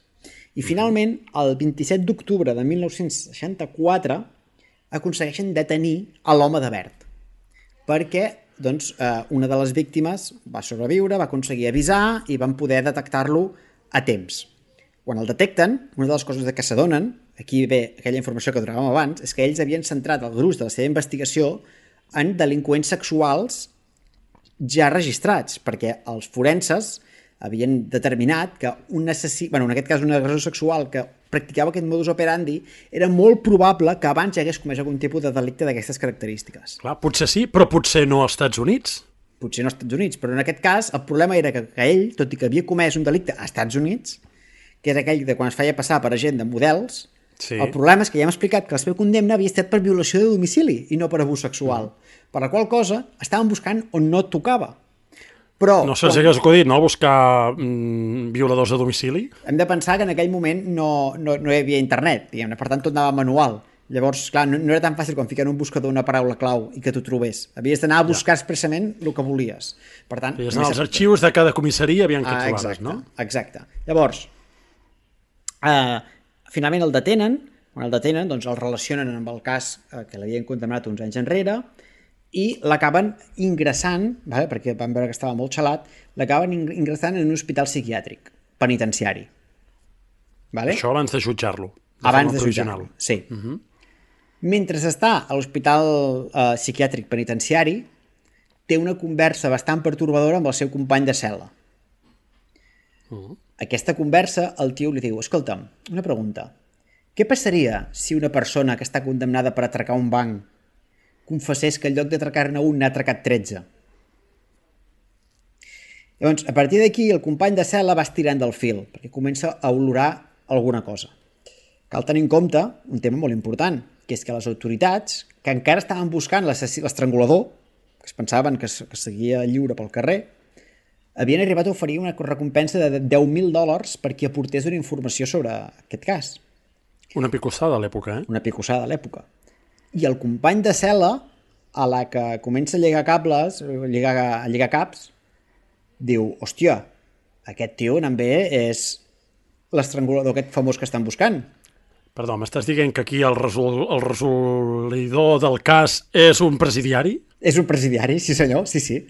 I finalment, el 27 d'octubre de 1964 aconsegueixen detenir a l'home de verd. Perquè doncs, una de les víctimes va sobreviure, va aconseguir avisar i van poder detectar-lo a temps. Quan el detecten, una de les coses que s'adonen, aquí ve aquella informació que donàvem abans, és que ells havien centrat el gruix de la seva investigació en delinqüents sexuals ja registrats, perquè els forenses havien determinat que un assassí, en aquest cas un agressor sexual que practicava aquest modus operandi, era molt probable que abans ja hagués comès algun tipus de delicte d'aquestes característiques. Clar, potser sí, però potser no als Estats Units. Potser no als Estats Units, però en aquest cas el problema era que ell, tot i que havia comès un delicte als Estats Units, que era aquell de quan es feia passar per agent de models, el problema és que ja hem explicat que la seva condemna havia estat per violació de domicili i no per abús sexual, per la qual cosa estaven buscant on no tocava. Però, no se'ls hagués acudit, no?, buscar violadors de domicili? Hem de pensar que en aquell moment no hi havia internet, diguem-ne, per tant tot anava manual. Llavors, clar, no era tan fàcil com ficar en un buscador una paraula clau i que t'ho trobés. Havies d'anar a buscar expressament el que volies. Per tant, havies d'anar als arxius de cada comissaria aviam què trobaves, no? Exacte. Llavors, finalment el detenen, quan el detenen, doncs el relacionen amb el cas que l'havien condemnat uns anys enrere i l'acaben ingressant, perquè van veure que estava molt xalat, l'acaben ingressant en un hospital psiquiàtric, penitenciari. Això abans de jutjar-lo. Abans de jutjar-lo, sí. Mentre està a l'hospital psiquiàtric penitenciari, té una conversa bastant pertorbadora amb el seu company de cel·la. Aquesta conversa, el tio li diu: escolta'm, una pregunta. Què passaria si una persona que està condemnada per atracar un banc confessés que en lloc d'atracar-ne un n'ha atracat 13? Llavors, a partir d'aquí, el company de cel·la va estirant del fil, perquè comença a olorar alguna cosa. Cal tenir en compte un tema molt important, que és que les autoritats, que encara estaven buscant l'estrangulador, que es pensaven que seguia lliure pel carrer, havien arribat a oferir una recompensa de $10.000 per qui aportés una informació sobre aquest cas. Una picossada a l'època, Una picossada a l'època. I el company de cel·la, a la que comença a lligar cables, a lligar caps, diu, hòstia, aquest tio també és l'estrangulador aquest famós que estan buscant. Perdó, m'estàs dient que aquí el resolidor del cas és un presidiari? És un presidiari, sí senyor, sí.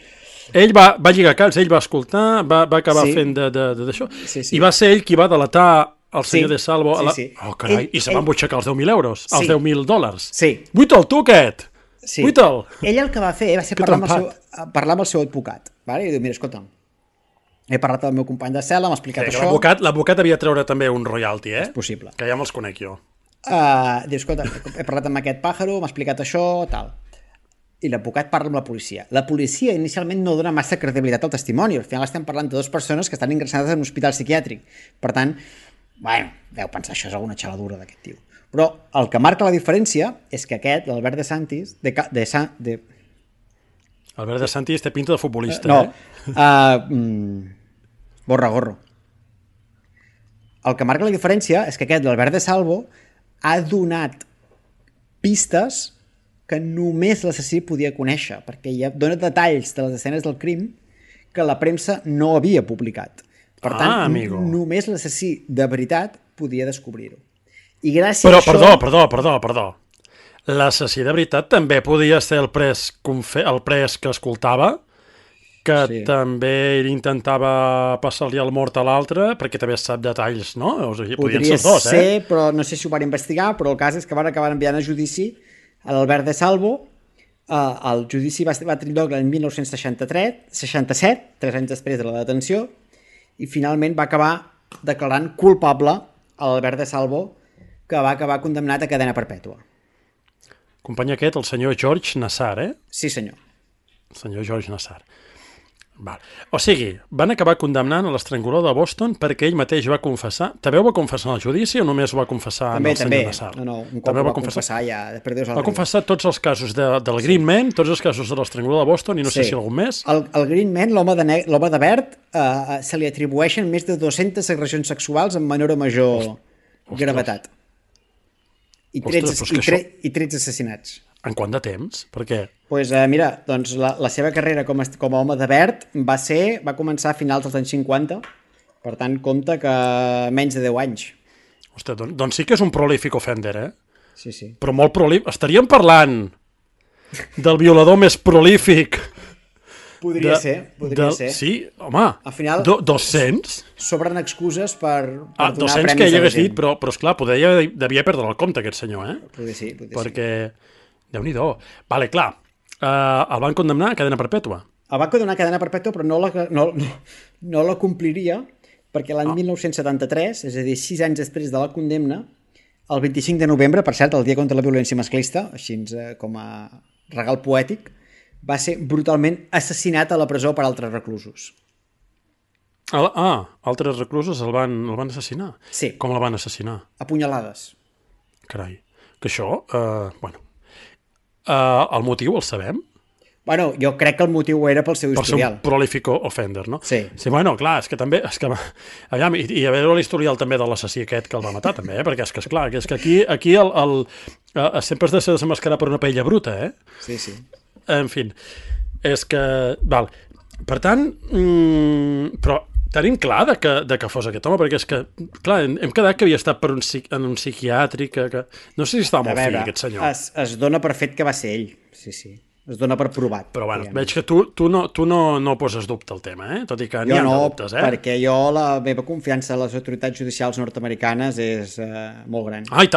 Ell va lligar caps, ell va escoltar, va acabar fent d'això, i va ser ell qui va delatar el senyor de Salvo. Sí. Oh, carai, i se van butxacar els 10.000 euros, els $10.000. Sí. Buita'l, tu, aquest! Sí. Buita'l! Ell el que va fer va ser parlar amb el seu advocat. Vale? I diu, mira, escolta'm, he parlat amb el meu company de cel·la, m'ha explicat això. L'advocat havia de treure també un royalty, És possible. Que ja me'ls conec jo. Diu, escolta, he parlat amb aquest pàjaro, m'ha explicat això, tal. I l'advocat parla amb la policia. La policia inicialment no dona massa credibilitat al testimoni. Al final estem parlant de dues persones que estan ingressades en un hospital psiquiàtric. Per tant, bueno, deu pensar això és alguna xaladura d'aquest tio. Però el que marca la diferència és que aquest, l'Albert de Santis, Albert de Santis té pinta de futbolista, Gorro. El que marca la diferència és que aquest, l'Albert de Salvo, ha donat pistes que només l'assassí podia conèixer, perquè ja dona detalls de les escenes del crim que la premsa no havia publicat. Per tant, només l'assassí de veritat podia descobrir-ho. I gràcies a això... Perdó. L'assassí de veritat també podia ser el pres que escoltava, que també ell intentava passar-li el mort a l'altre, perquè també sap detalls, no? O sigui, podria ser, però no sé si ho van investigar, però el cas és que van acabar enviant a judici a l'Albert de Salvo. El judici va tenir lloc l'any 1967, 3 anys després de la detenció, i finalment va acabar declarant culpable a l'Albert de Salvo, que va acabar condemnat a cadena perpètua. Company aquest, el senyor George Nassar, Sí, senyor. El senyor George Nassar. Val. O sigui, van acabar condemnant a l'estrangulador de Boston perquè ell mateix va confessar. També ho va confessar en el judici o només ho va confessar en el senyor Nassar? No, un cop ho va confessar ja. Va confessar tots els casos del Green Man, tots els casos de l'estrangulador de Boston i no sé si algun més. El Green Man, l'home de verd, se li atribueixen més de 200 agressions sexuals amb menor o major gravetat. I 13 assassinats. En quant de temps? Per què? Doncs mira, la seva carrera com a home de verd va començar a finals dels anys 50, per tant compta que menys de 10 anys. Ostres, doncs sí que és un prolífic offender, Sí. Però molt prolífic. Estaríem parlant del violador més prolífic. Podria ser. Sí, home, al final, 200? Sobren excuses per donar 200 premis que ell a la hagués gent. dit, però esclar, devia perdre el compte aquest senyor, Podria ser. Perquè... Déu-n'hi-do. Vale, clar, el van condemnar a cadena perpètua. El van condemnar a cadena perpètua, però no la compliria, perquè l'any 1973, és a dir, 6 anys després de la condemna, el 25 de novembre, per cert, el dia contra la violència masclista, així com a regal poètic, va ser brutalment assassinat a la presó per altres reclusos. Altres reclusos el van assassinar? Sí. Com el van assassinar? A punyalades. Carai. Que això, el motiu el sabem? Bueno, jo crec que el motiu era pel seu historial. Per ser un prolífic offender, no? Sí. Bueno, clar, és que també... Aviam, i a veure l'historial també de l'assassí aquest que el va matar, també, perquè és que, esclar, és que aquí sempre has de ser desenmascarat per una paella bruta, Sí. En fi, és que... Val. Per tant, però tenim clar de que fos aquest home, perquè és que, clar, hem quedat que havia estat en un psiquiàtric, que no sé si estava molt fill, aquest senyor. Es dona per fet que va ser ell, sí. Es dona per provat. Però bueno, veig que tu no poses dubte al tema, tot i que n'hi ha dubtes, perquè la meva confiança en les autoritats judicials nord-americanes és molt gran. I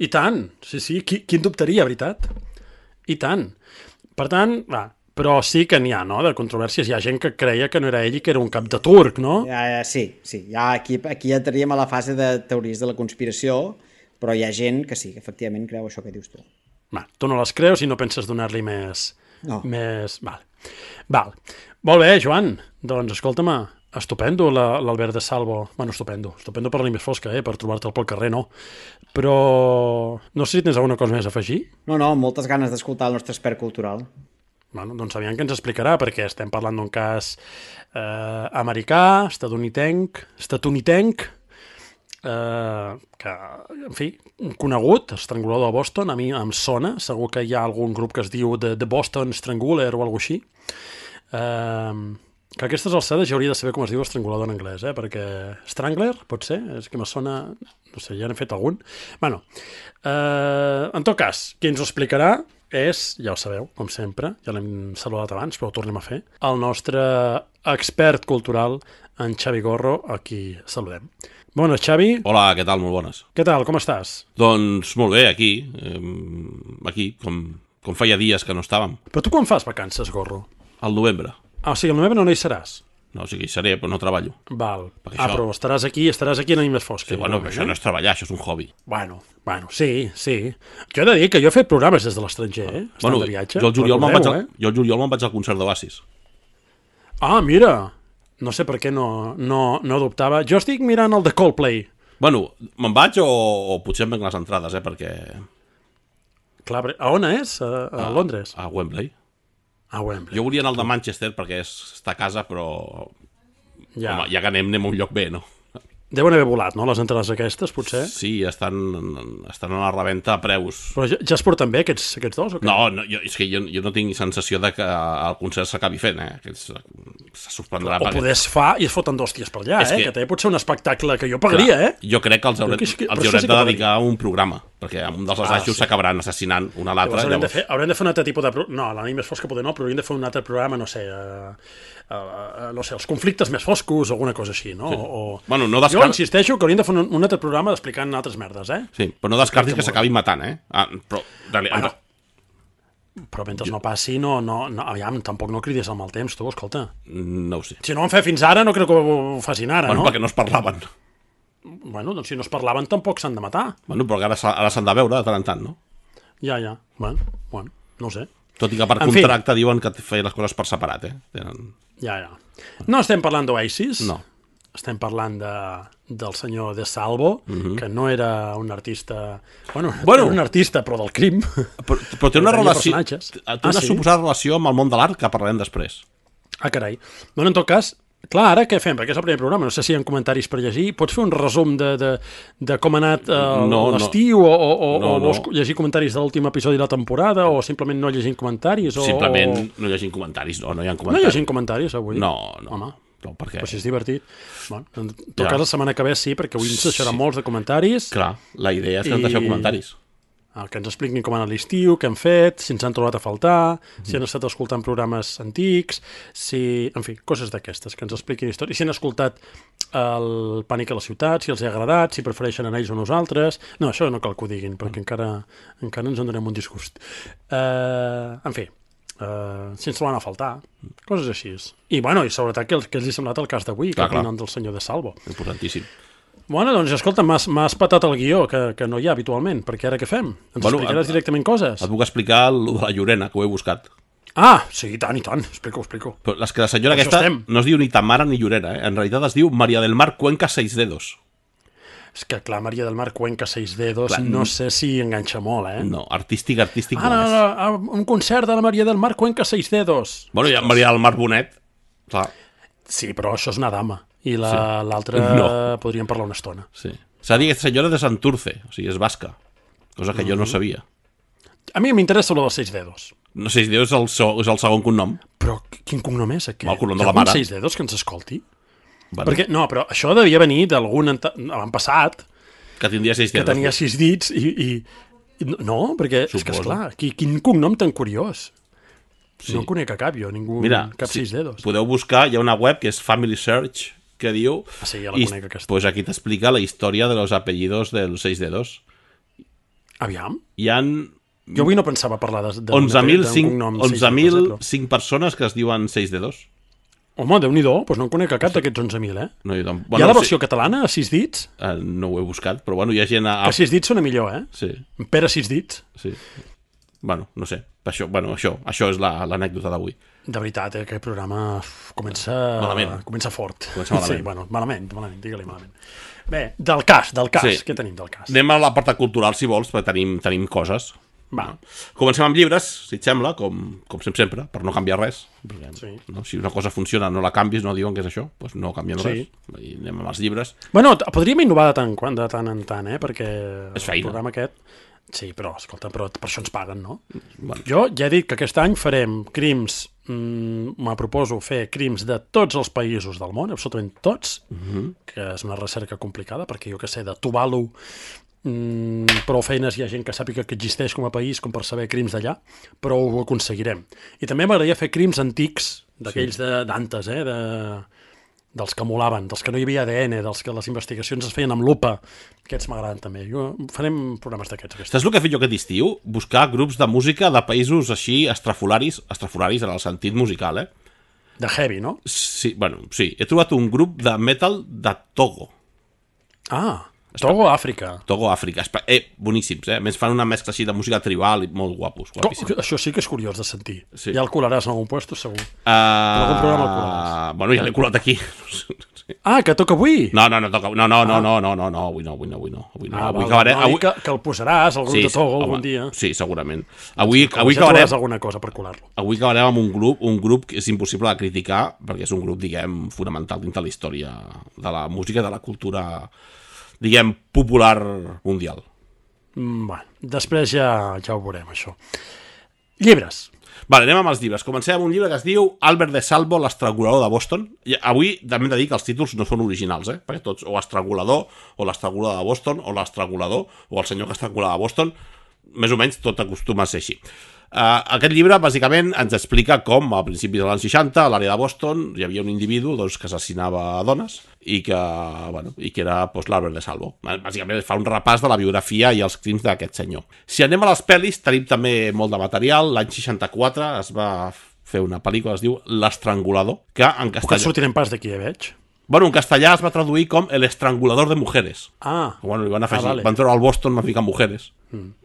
tant! Sí, qui en dubtaria, veritat? I tant. Per tant, però sí que n'hi ha, no?, de controvèrsies. Hi ha gent que creia que no era ell i que era un cap de turc, no? Sí. Ja aquí ja entraríem a la fase de teories de la conspiració, però hi ha gent que sí, que efectivament creu això que dius tu. Tu no les creus i no penses donar-li més... No. Val. Molt bé, Joan. Doncs, escolta'm, Estupendo, l'Albert de Salvo. Bueno, estupendo per la nit més fosca, per trobar-te'l pel carrer, no. Però no sé si tens alguna cosa més a afegir. No, moltes ganes d'escoltar el nostre expert cultural. Bueno, doncs aviam què ens explicarà, perquè estem parlant d'un cas americà, estatunidenc, que, en fi, conegut, Estrangulador de Boston, a mi em sona, segur que hi ha algun grup que es diu The Boston Strangler o alguna així, que a aquestes alçades ja hauria de saber com es diu estrangulador en anglès, perquè Strangler, pot ser, és que me sona, no sé, ja n'he fet algun. Bueno, en tot cas, qui ens ho explicarà és, ja ho sabeu, com sempre, ja l'hem saludat abans, però ho tornem a fer, el nostre expert cultural, en Xavi Gorro, a qui saludem. Bones, Xavi. Hola, què tal? Molt bones. Què tal, com estàs? Doncs molt bé, aquí, com feia dies que no estàvem. Però tu quan fas vacances, Gorro? Al novembre. Ah, o sigui, al novembre no hi seràs? No, o sigui, hi seré, però no treballo. Val. Això... però estaràs aquí en la nit més fosca. Sí, bueno, això no és treballar, això és un hobby. Bueno, sí. Jo he de dir que jo he fet programes des de l'estranger, Bueno, de viatge. jo el juliol me'n vaig al concert d'Oasis. Ah, mira! No sé per què no adoptava. Jo estic mirant el de Coldplay. Bueno, me'n vaig o potser em venc les entrades, perquè... Clar, a on és? A Londres? A Wembley. A Wembley. Jo volia anar al de Manchester perquè està a casa, però... Ja. Home, ja que anem a un lloc bé, no? Deuen haver volat, no?, les entrades aquestes, potser? Sí, estan a la reventa a preus. Però ja es porten bé, aquests dos, o què? No, és que jo no tinc sensació de que el concert s'acabi fent, que se suspendrà. O poder es fa i es foten d'hòsties per allà, que també pot ser un espectacle que jo pagaria, Jo crec que els haurem de dedicar un programa, perquè un dels assajos s'acabaran assassinant un a l'altre. Haurem de fer un altre tipus de... No, la nit més fosca poder no, però hauríem de fer un altre programa, no sé, els conflictes més foscos o alguna cosa així, no? Sí. Bueno, no jo insisteixo que hauríem de fer un altre programa explicant altres merdes, Sí, però no descartis que s'acabin matant, Però mentre no passi, aviam, tampoc no cridis al mal temps, tu, escolta. No ho sé. Si no ho han fet fins ara, no crec que ho facin ara, no? Bueno, perquè no es parlaven. Bueno, doncs si no es parlaven tampoc s'han de matar. Bueno, però ara s'han de veure de tant en tant, no? Ja. Bueno, no ho sé. Tot i que per contracte diuen que feien les coses per separat, Ja. No estem parlant d'Oasis. No. Estem parlant del senyor De Salvo, que no era un artista... Bueno, era un artista, però del crim. Però té una relació... Té una suposada relació amb el món de l'art que parlarem després. Ah, carai. Bueno, en tot cas, clar, ara què fem? Perquè és el primer programa, no sé si hi ha comentaris per llegir. Pots fer un resum de com ha anat l'estiu o vols llegir comentaris de l'últim episodi de la temporada o simplement no llegint comentaris? Simplement no llegint comentaris, no hi ha comentaris. No llegint comentaris avui? No. Home. No, perquè... Però si és divertit. Bueno, en tot cas, la setmana que ve sí, perquè avui ens deixarà molts de comentaris. Clar, la idea és que ens deixeu comentaris. Que ens expliquin com ha anat l'estiu, què han fet, si ens han trobat a faltar, si han estat escoltant programes antics, en fi, coses d'aquestes, que ens expliquin històries, si han escoltat el Pànic a la ciutat, si els ha agradat, si prefereixen anar ells o nosaltres. No, això no cal que ho diguin, perquè encara ens en donem un disgust. En fi, si ens troben a faltar, coses així. I sobretot que els hi ha semblat el cas d'avui, que opinen del senyor De Salvo. Importantíssim. Bueno, doncs escolta, m'has patat el guió que no hi ha habitualment, perquè ara què fem? Ens explicaràs directament coses? Et puc explicar el de la Llorena, que ho he buscat. Ah, sí, i tant, explico. Però és que la senyora aquesta no es diu ni Tamara ni Llorena, en realitat es diu María del Mar Cuenca Seis Dedos. És que, clar, María del Mar Cuenca Seis Dedos, clar, no sé si enganxa molt, No, artístic no és. Un concert de la María del Mar Cuenca Seis Dedos. Bueno, hi ha María del Mar Bonet, clar. Sí, però això és una dama. I l'altra podríem parlar una estona. Sí. S'ha dit senyora de Santurce, o sigui, és basca, cosa que jo no sabia. A mi m'interessa lo dels Seis Dedos. No, Seis Dedos és el segon cognom. Però quin cognom és aquest? El cognom de la mare. Seis Dedos que ens escolti? Bueno. Perquè, no, però això devia venir d'algun avantpassat que tindria 6 dedos. Que tenia 6 dits i no, perquè és que, esclar, quin cognom tan curiós. Sí. No conec a cap jo, cap 6 dedos. Podeu buscar, hi ha una web que és Family Search, que diu... Ah, sí, ja la conec aquesta. Pues aquí t'explica la història de los apellidos de los 6 dedos. Aviam. Hi ha... Jo avui no pensava parlar de 11.005 persones que es diuen 6 dedos. Home, Déu-n'hi-do, doncs no en conec a cap d'aquests 11.000, No, hi ha la versió catalana, a 6 dits? No ho he buscat, però bueno, hi ha gent... Que 6 dits sona millor, Sí. Pere 6 dits. Sí. Bueno, no sé. Això és l'anècdota d'avui. De veritat, aquest programa comença fort. Comença malament. Sí, bueno, malament, digue-li malament. Bé, del cas, Sí. què tenim del cas? Anem a l'apartat cultural, si vols, perquè tenim coses. Va. Comencem amb llibres, si et sembla, com sempre, per no canviar res. Sí. No? Si una cosa funciona, no la canvis, no diuen que és això, doncs no canvien Sí. res. I anem amb els llibres. Bueno, podríem innovar de tant en tant, perquè És feina. el programa aquest... Sí, però, escolta, per això ens paguen, no? Bueno. Jo ja he dit que aquest any farem crims, me proposo fer crims de tots els països del món, absolutament tots, que és una recerca complicada, perquè jo que sé, de Tuvalu, prou feines hi ha gent que sàpiga que existeix com a país com per saber crims d'allà, però ho aconseguirem. I també m'agradaria fer crims antics, d'aquells d'antes, dels que molaven, dels que no hi havia ADN, dels que les investigacions es feien amb lupa. Aquests m'agraden també. Farem programes d'aquests. Saps el que he fet jo aquest estiu? Buscar grups de música de països així estrafolaris en el sentit musical, De heavy, no? Sí, bueno, sí. He trobat un grup de metal de Togo. Togo, Àfrica. Togo, Àfrica. Boníssims, A més, fan una mescla així de música tribal i molt guapos. Això sí que és curiós de sentir. Sí. Ja el colaràs en algun puesto, segur. En algun programa el colaràs. Bueno, ja l'he colat aquí. Que toca avui? No, toca. No, avui no. Avui acabarem. Que el posaràs, el grup de Togo, algun dia. Sí, segurament. Avui ja acabarem... trobaràs alguna cosa per colar-lo. Avui acabarem amb un grup que és impossible de criticar, perquè és un grup, diguem, fonamental dins de la història de la música i de la cultura, diguem, popular mundial. Bueno, després ja ho veurem, això. Llibres. Vale, anem amb els llibres. Comencem amb un llibre que es diu Albert de Salvo, l'estrangulador de Boston. I avui també hem de dir que els títols no són originals, perquè tots, o estrangulador, o l'estrangulador de Boston, o l'estrangulador, o el senyor que estrangulava Boston, més o menys tot acostuma a ser així. Aquest llibre, bàsicament, ens explica com, a principis dels anys 60, a l'àrea de Boston, hi havia un individu que assassinava dones i que era l'Albert de Salvo. Bàsicament fa un repàs de la biografia i els crims d'aquest senyor. Si anem a les pel·lis, tenim també molt de material. L'any 64 es va fer una pel·lícula que es diu L'Estrangulador, que en castellà... Que sortirem pas d'aquí, veig. Bueno, en castellà es va traduir com El estrangulador de mujeres. Bueno, li van afegir, vale. Van treure al Boston, van ficar mujeres.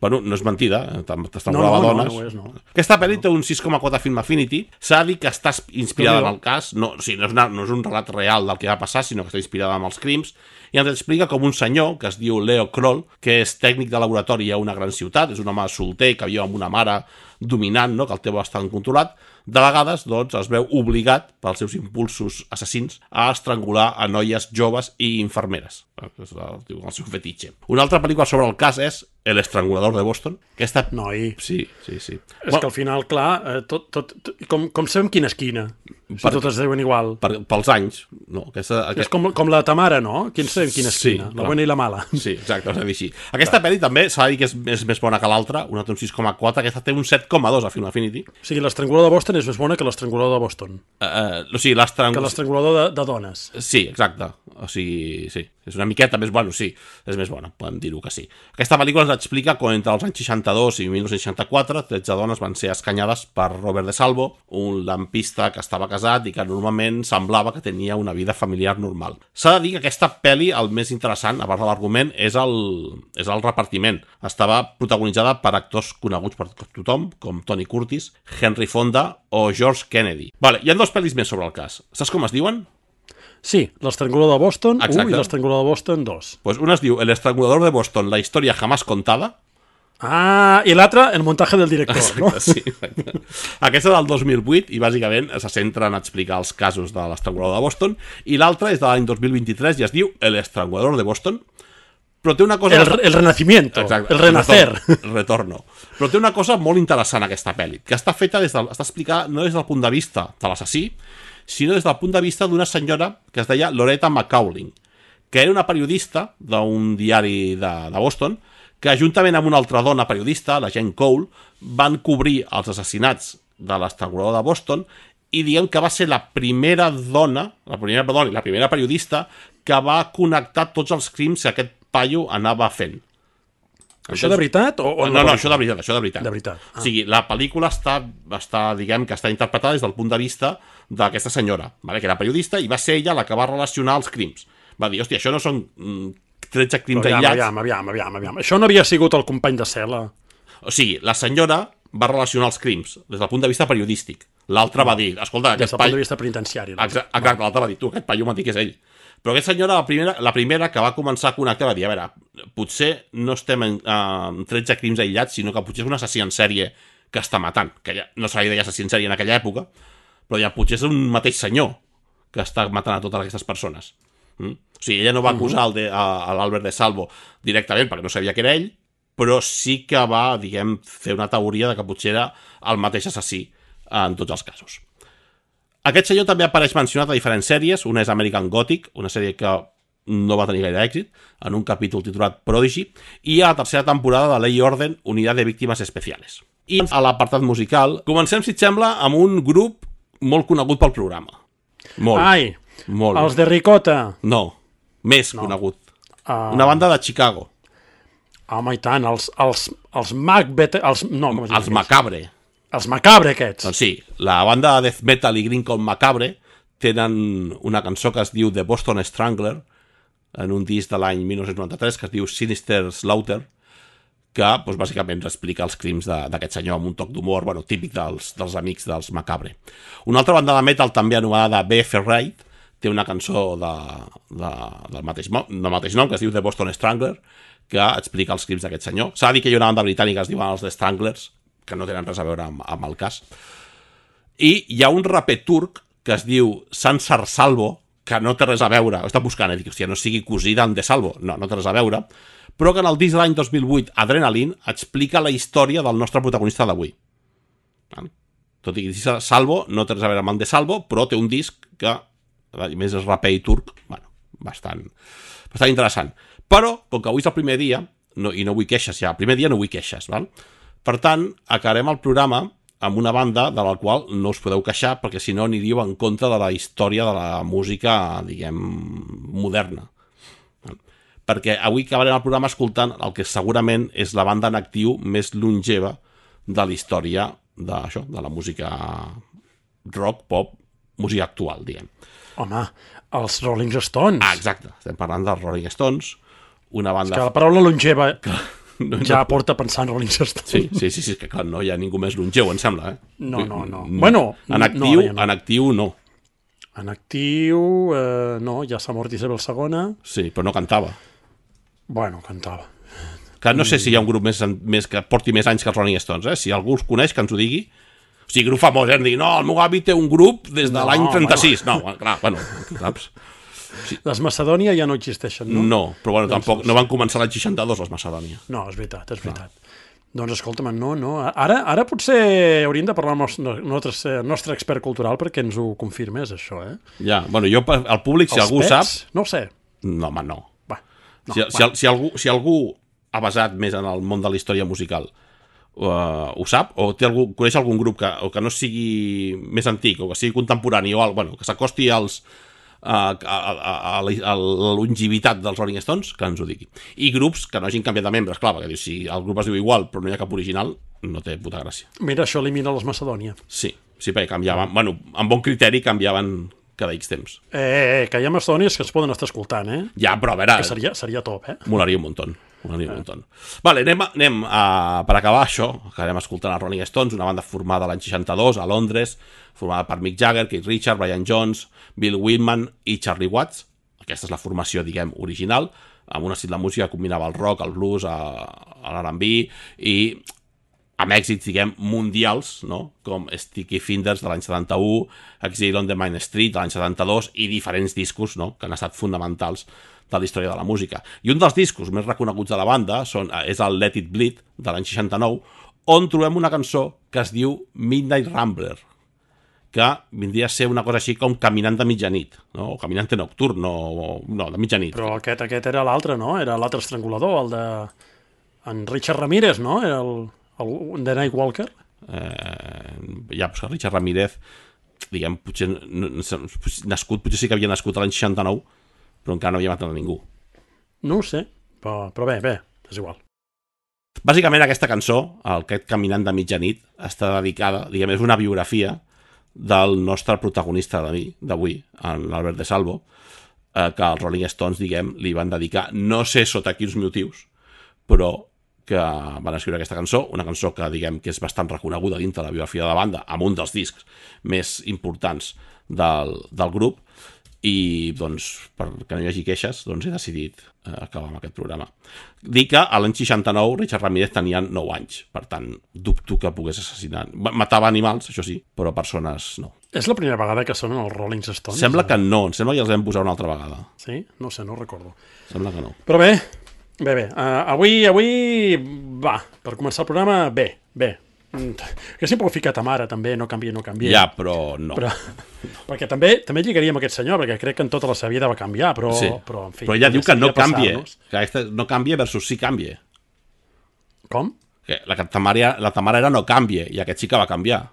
Bueno, no és mentida, t'estrangulava dones. No. Aquesta pel·li té un 6,4 Film Affinity. S'ha de dir que està inspirada en el cas. No és un relat real del que va passar, sinó que està inspirada en els crims. I ens explica com un senyor, que es diu Leo Kroll, que és tècnic de laboratori a una gran ciutat, és un home solter que viu amb una mare dominant, que el té bastant controlat, de vegades es veu obligat pels seus impulsos assassins a estrangular a noies joves i infermeres. És el seu fetitxe. Una altra pel·lícula sobre el cas és El estrangulador de Boston. Noi. Sí. És que al final, clar, com sabem quina és quina? Si totes es diuen igual. Pels anys. No, és com la Tamara, no? Sabem quina és quina? La bona i la mala. Sí, exacte, s'ha de dir així. Aquesta pel·li també s'ha de dir que és més bona que l'altra, una té un 6,4, aquesta té un 7,2 a Film Affinity. O sigui, l'estrangulador de Boston és més bona que l'estrangulador de Boston. Que l'estrangulador de dones. Sí, exacte. O sigui, sí. És una miqueta més bona, sí. És més bona, podem dir-ho que sí. Aquesta pel·lícula ens explica com entre els anys 62 i 1964 13 dones van ser escanyades per Robert de Salvo, un lampista que estava casat i que normalment semblava que tenia una vida familiar normal. S'ha de dir que aquesta pel·li, el més interessant, a part de l'argument, és el repartiment. Estava protagonitzada per actors coneguts per tothom, com Tony Curtis, Henry Fonda o George Kennedy. Vale, hi ha dos pel·lis més sobre el cas. Saps com es diuen? Sí, l'estrangulador de Boston 1 i l'estrangulador de Boston 2. Pues una es diu El estrangulador de Boston, la història jamás contada. I l'altra, el muntatge del director, no? Sí, exacte. Aquesta és del 2008 i bàsicament se centra en explicar els casos de l'estrangulador de Boston, i l'altra és de l'any 2023 i es diu El estrangulador de Boston, però té una cosa... El renacimiento, exacte, el renacer. El retorno. Però té una cosa molt interessant aquesta pel·li, que està feta està explicada no des del punt de vista de l'assassí, sinó des del punt de vista d'una senyora que es deia Loretta McCaulin, que era una periodista d'un diari de Boston, que juntament amb una altra dona periodista, la Jane Cole, van cobrir els assassinats de l'estrangulador de Boston, i diguem que va ser la primera dona, la primera periodista, que va connectar tots els crims que aquest paio anava fent. Això de veritat? No, això de veritat. De veritat. O sigui, la pel·lícula està, diguem, que està interpretada des del punt de vista d'aquesta senyora, que era periodista, i va ser ella la que va relacionar els crims. Va dir, hòstia, això no són 13 crims aïllats. Aviam. Això no havia sigut el company de cel·la. O sigui, la senyora va relacionar els crims des del punt de vista periodístic. L'altre va dir, escolta, Des del punt de vista penitenciari. Doncs. Exacte, l'altre va dir, tu, aquest paio m'ha dit que és ell. Però aquesta senyora, la primera que va començar a connectar, va dir, a veure, potser no estem en 13 crims aïllats, sinó que potser és un assassí en sèrie que està matant, que ja no se li deia assassí en sèrie en aquella època, però ja potser és un mateix senyor que està matant a totes aquestes persones. O sigui, ella no va acusar a l'Albert de Salvo directament, perquè no sabia que era ell, però sí que va, diguem, fer una teoria de que potser era el mateix assassí en tots els casos. Aquest senyor també apareix mencionat a diferents sèries. Una és American Gothic, una sèrie que no va tenir gaire èxit, en un capítol titulat Prodigy, i a la tercera temporada de Ley Orden, Unitat de Víctimes Especiales. I a l'apartat musical, comencem, si et sembla, amb un grup molt conegut pel programa. Molt. Molt. Els de Ricota. No, més conegut. Una banda de Chicago. Home, i tant, els Macbeth... Els Macabre. Els Macabre, aquests. Doncs sí, la banda de death metal i greencore Macabre tenen una cançó que es diu The Boston Strangler, en un disc de l'any 1993 que es diu Sinister Slaughter, que doncs, bàsicament explica els crims d'aquest senyor amb un toc d'humor típic dels amics dels Macabre. Una altra banda de metal també anomenada BF Raid té una cançó del mateix nom que es diu The Boston Strangler, que explica els crims d'aquest senyor. S'ha de dir que hi ha una banda britànica que es diuen els The Stranglers, que no tenen res a veure amb el cas. I hi ha un raper turc que es diu Sansar Salvo, que no té res a veure, ho està buscant, dic, hòstia, no sigui cosí d'en De Salvo, no té res a veure, però que en el disc de l'any 2008, Adrenaline, explica la història del nostre protagonista d'avui. Tot i que Salvo no té res a veure amb en De Salvo, però té un disc que, a més, és raper i turc, bastant interessant. Però, com que avui és el primer dia, i no vull queixes ja, el primer dia no vull queixes, val? Per tant, acabarem el programa amb una banda de la qual no us podeu queixar, perquè si no aniríeu en contra de la història de la música, diguem, moderna. Perquè avui acabarem el programa escoltant el que segurament és la banda en actiu més longeva de la història de la música rock, pop, música actual, diguem. Home, els Rolling Stones. Exacte, estem parlant dels Rolling Stones, una banda... És que la paraula longeva... ja porta a pensar en Rolling Stones. Sí, que clar, no hi ha ningú més longeu, em sembla, eh? No. Bueno, en actiu, no. En actiu, no, ja s'ha mort Isabel II. Sí, però no cantava. Bueno, cantava. Que no sé si hi ha un grup més que porti més anys que els Rolling Stones, eh? Si algú els coneix, que ens ho digui. O sigui, grup famós, eh? No, el meu avi té un grup des de l'any 36. No, clar, saps? Sí. Les Macedònia ja no existeixen, no? No, però tampoc, no van començar l'any 62 les Macedònia. No, és veritat. Doncs escolta'm, no. Ara potser hauríem de parlar amb el nostre expert cultural perquè ens ho confirmés, això, eh? Ja, jo, al públic, si algú sap... No ho sé. No, home, no. Si algú ha basat més en el món de la història musical ho sap, o coneix algun grup que no sigui més antic, o que sigui contemporani, o que s'acosti a la longevitat dels Rolling Stones, que ens ho digui. I grups que no hagin canviat de membres, clar, perquè si el grup es diu igual però no hi ha cap original, no té puta gràcia. Mira, això elimina les Macedònia. Sí, perquè canviaven, amb bon criteri canviaven cada X temps. Que hi ha Macedònies que es poden estar escoltant, eh? Ja, però a veure... Que seria top, eh? Molaria un muntó. Vale, anem per acabar això, acabarem escoltant els Rolling Stones, una banda formada l'any 62 a Londres, formada per Mick Jagger, Keith Richards, Brian Jones, Bill Wyman i Charlie Watts. Aquesta és la formació, diguem, original, amb un estil de música que combinava el rock, el blues, l'R&B i amb èxits, diguem, mundials, no? Com Sticky Fingers de l'any 71, Exile on the Main Street de l'any 72 i diferents discos, no? Que han estat fonamentals de la història de la música. I un dels discos més reconeguts de la banda és el Let It Bleed, de l'any 69, on trobem una cançó que es diu Midnight Rambler, que vindria a ser una cosa així com Caminant de mitjanit, no? O Caminante Nocturn, no, de mitjanit. Però aquest era l'altre, no? Era l'altre estrangulador, el de... en Richard Ramírez, no? Era el de Night Walker. Pues Richard Ramírez, diguem, potser potser sí que havia nascut l'any 69, però encara no havia matat a ningú. No ho sé, però bé, és igual. Bàsicament aquesta cançó, aquest Caminant de mitjanit, està dedicada, diguem, és una biografia del nostre protagonista d'avui, l'Albert de Salvo, que els Rolling Stones, diguem, li van dedicar, no sé sota quins motius, però que van escriure aquesta cançó, una cançó que diguem que és bastant reconeguda dintre la biografia de la banda, amb un dels discs més importants del grup, i doncs perquè no hi hagi queixes doncs he decidit acabar amb aquest programa. Dic que a l'any 69 Richard Ramírez tenia 9 anys, per tant dubto que pogués assassinar, matava animals, això sí, però persones no. És la primera vegada que sonen els Rolling Stones? Sembla que no, em sembla que els vam posar una altra vegada. Sí? No sé, no recordo. Sembla que no. Però bé, avui va, per començar el programa, bé. Que sempre ho he ficat a mare, també, no canvia. Ja, però no. Perquè també lligaria amb aquest senyor, perquè crec que en tota la seva vida va canviar, però en fi... Però ella diu que no canvia, que aquesta no canvia versus sí canvia. Com? Que la Tamara era no canvia, i aquest sí que va canviar.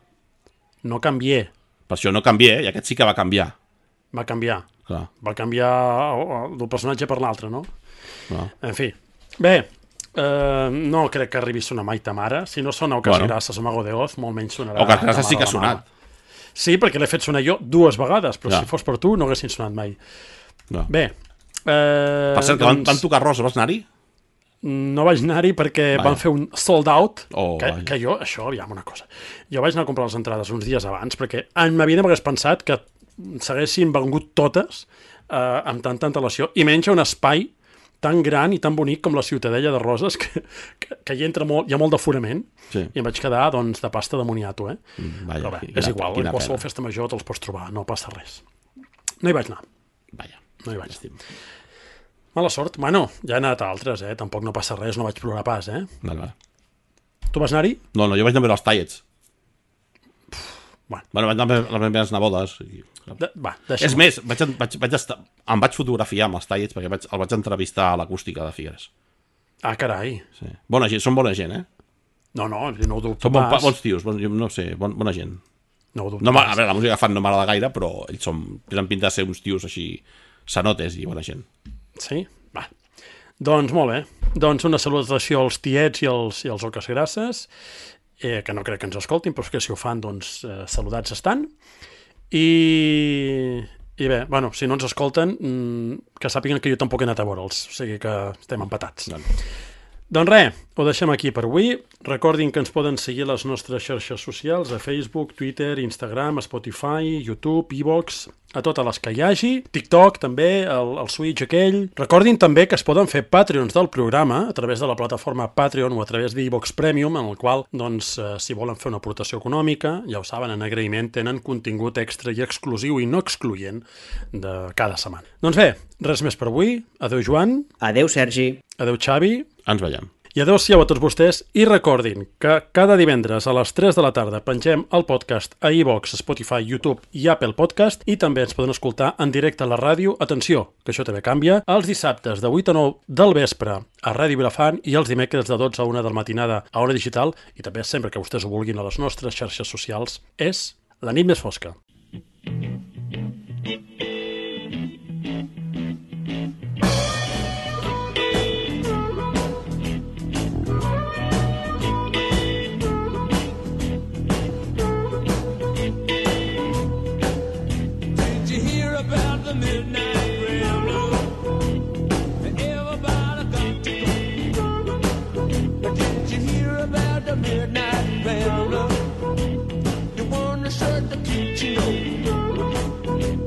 No canvié. Per això no canvia, i aquest sí que va canviar. Va canviar. Clar. Va canviar del personatge per l'altre, no? Clar. En fi. Bé, no crec que arribi a sonar mai ta mare. Si no sona Ocas Grasses o Mago de Oz, molt menys sonarà. Ocas Grasses sí que ha sonat. Sí, perquè l'he fet sonar jo 2 vegades, però si fos per tu no haguessin sonat mai. Bé. Per cert, que van tocar Rosa, vas anar-hi? No vaig anar-hi perquè van fer un sold out, que jo, això, aviam una cosa, jo vaig anar a comprar les entrades uns dies abans perquè en ma vida m'hagués pensat que s'haguessin vengut totes amb tanta antelació, i menys un espai tan gran i tan bonic com la Ciutadella de Roses, que hi entra molt, hi ha molt d'aforament, i em vaig quedar doncs, de pasta de moniato, però bé, és igual, en qualsevol festa major te'ls pots trobar, no passa res. No hi vaig anar. No hi vaig anar. Mala sort. Bueno, ja he anat a altres, tampoc no passa res, no vaig plorar pas, Vale. Tu vas anar-hi? No, jo vaig anar a veure els Tallets. Bueno, vaig anar a les meves nebodes. És més, em vaig fotografiar amb els Tallets perquè el vaig entrevistar a l'acústica de Figueres. Ah, carai. Sí. Bona gent, són bona gent, No ho dubto pas. Són bons tios, no sé, bona gent. No ho dubto pas. A veure, la música que fan no m'agrada gaire, però ells tenen pinta de ser uns tios així sanotes i bona gent. Sí? Va. Doncs molt bé. Doncs una salutació als tiets i als Ocas Grasses, que no crec que ens escoltin, però que si ho fan, doncs saludats estan. I bé, bueno, si no ens escolten, que sàpiguen que jo tampoc he anat a veure'ls, o sigui que estem empatats. Doncs res, ho deixem aquí per avui. Recordin que ens poden seguir a les nostres xarxes socials, a Facebook, Twitter, Instagram, Spotify, YouTube, iVoox, a totes les que hi hagi, TikTok també, el Switch aquell. Recordin també que es poden fer Patreons del programa a través de la plataforma Patreon o a través d'iVoox Premium, en el qual, doncs, si volen fer una aportació econòmica, ja ho saben, en agraïment tenen contingut extra i exclusiu i no excloent de cada setmana. Doncs bé, res més per avui. Adéu, Joan. Adéu, Sergi. Adéu, Xavi. Ens veiem. I adéu-siau a tots vostès, i recordin que cada divendres a les 3 de la tarda pengem el podcast a iVoox, Spotify, YouTube i Apple Podcast, i també ens poden escoltar en directe a la ràdio, atenció, que això també canvia, els dissabtes de 8 a 9 del vespre a Ràdio Vilafant i els dimecres de 12 a 1 del matinada a Hora Digital, i també sempre que vostès ho vulguin a les nostres xarxes socials, és La nit més fosca. Midnight Rambler, the one that said the keep you know.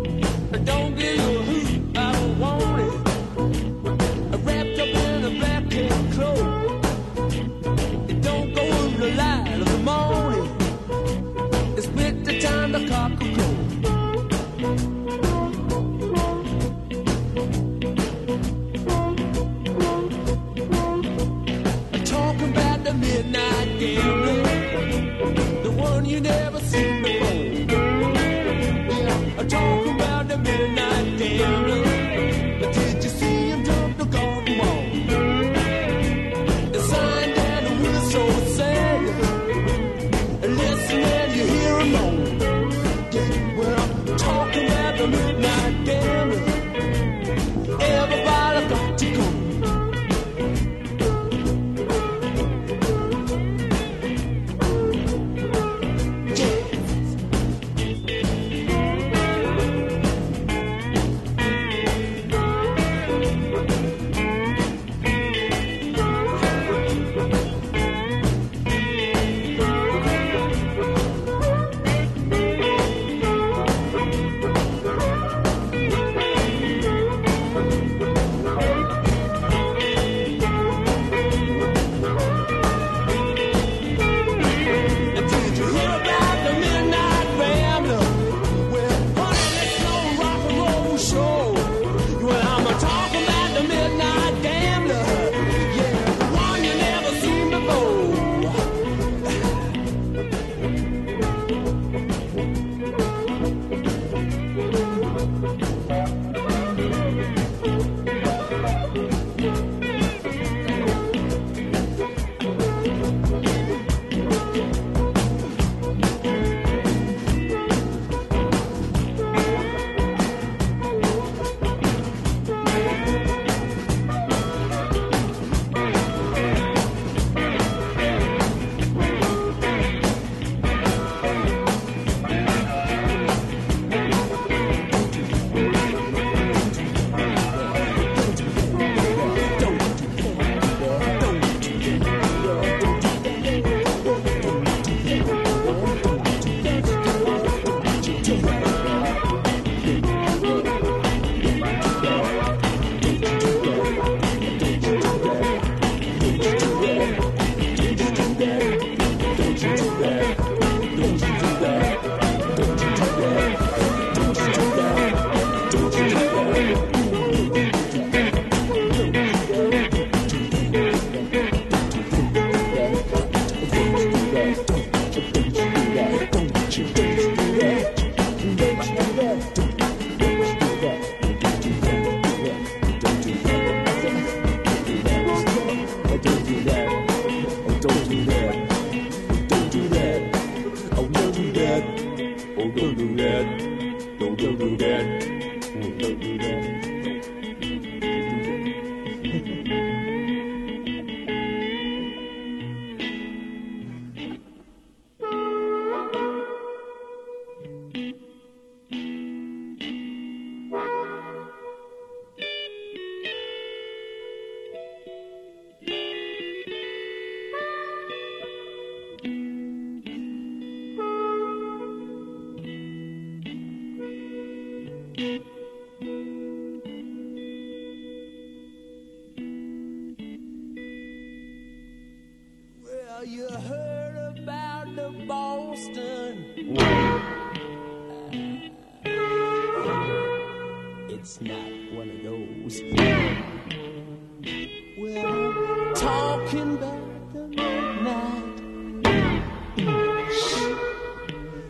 Well, talking about the midnight,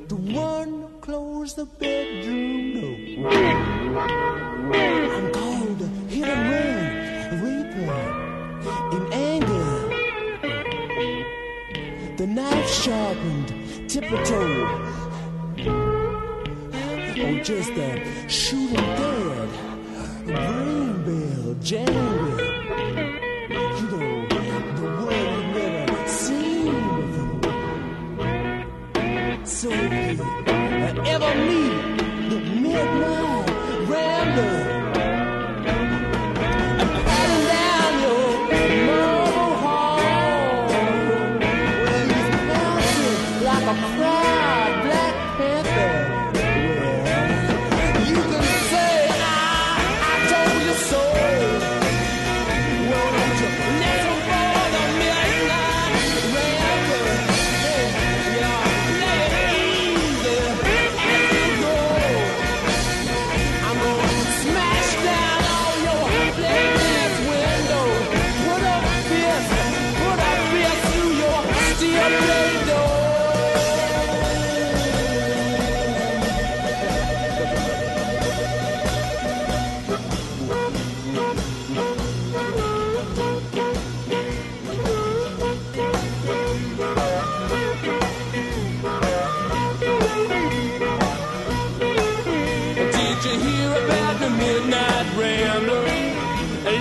the one who closed the bedroom door. I'm called a hit and run, a reaper in anger. The knife sharpened, tip-a-toe. Oh, just a shooting dead, a brain bell jangling. You know, the world you never seen before. So if you ever meet the midnight rambler, I'm cutting down your marble hall. Well, he's bouncing like a proud Black Panther. You can say I told you so. Well, don't you listen for the midnight rambler. Yeah, lay it easy as you go. I'm gonna smash down all your plate windows. Put a fist through your steel plate door. Did you hear about the midnight rambler?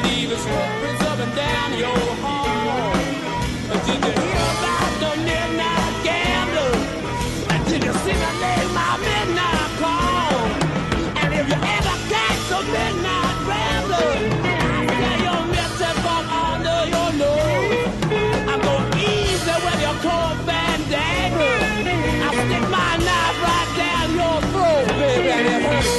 Leave his footprints up and down your hall. Did you hear about the midnight gambler? Did you see the name my midnight call? And if you ever catch a midnight rambler, I say you're missing from under your nose. I'm going easy with your cold bandana. I'll stick my knife right down your throat, baby, and it hurts.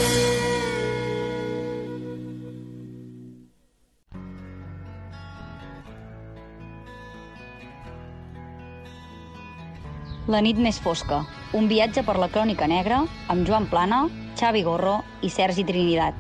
La nit més fosca, un viatge per la crònica negra amb Joan Plana, Xavi Gorro i Sergi Trinidad.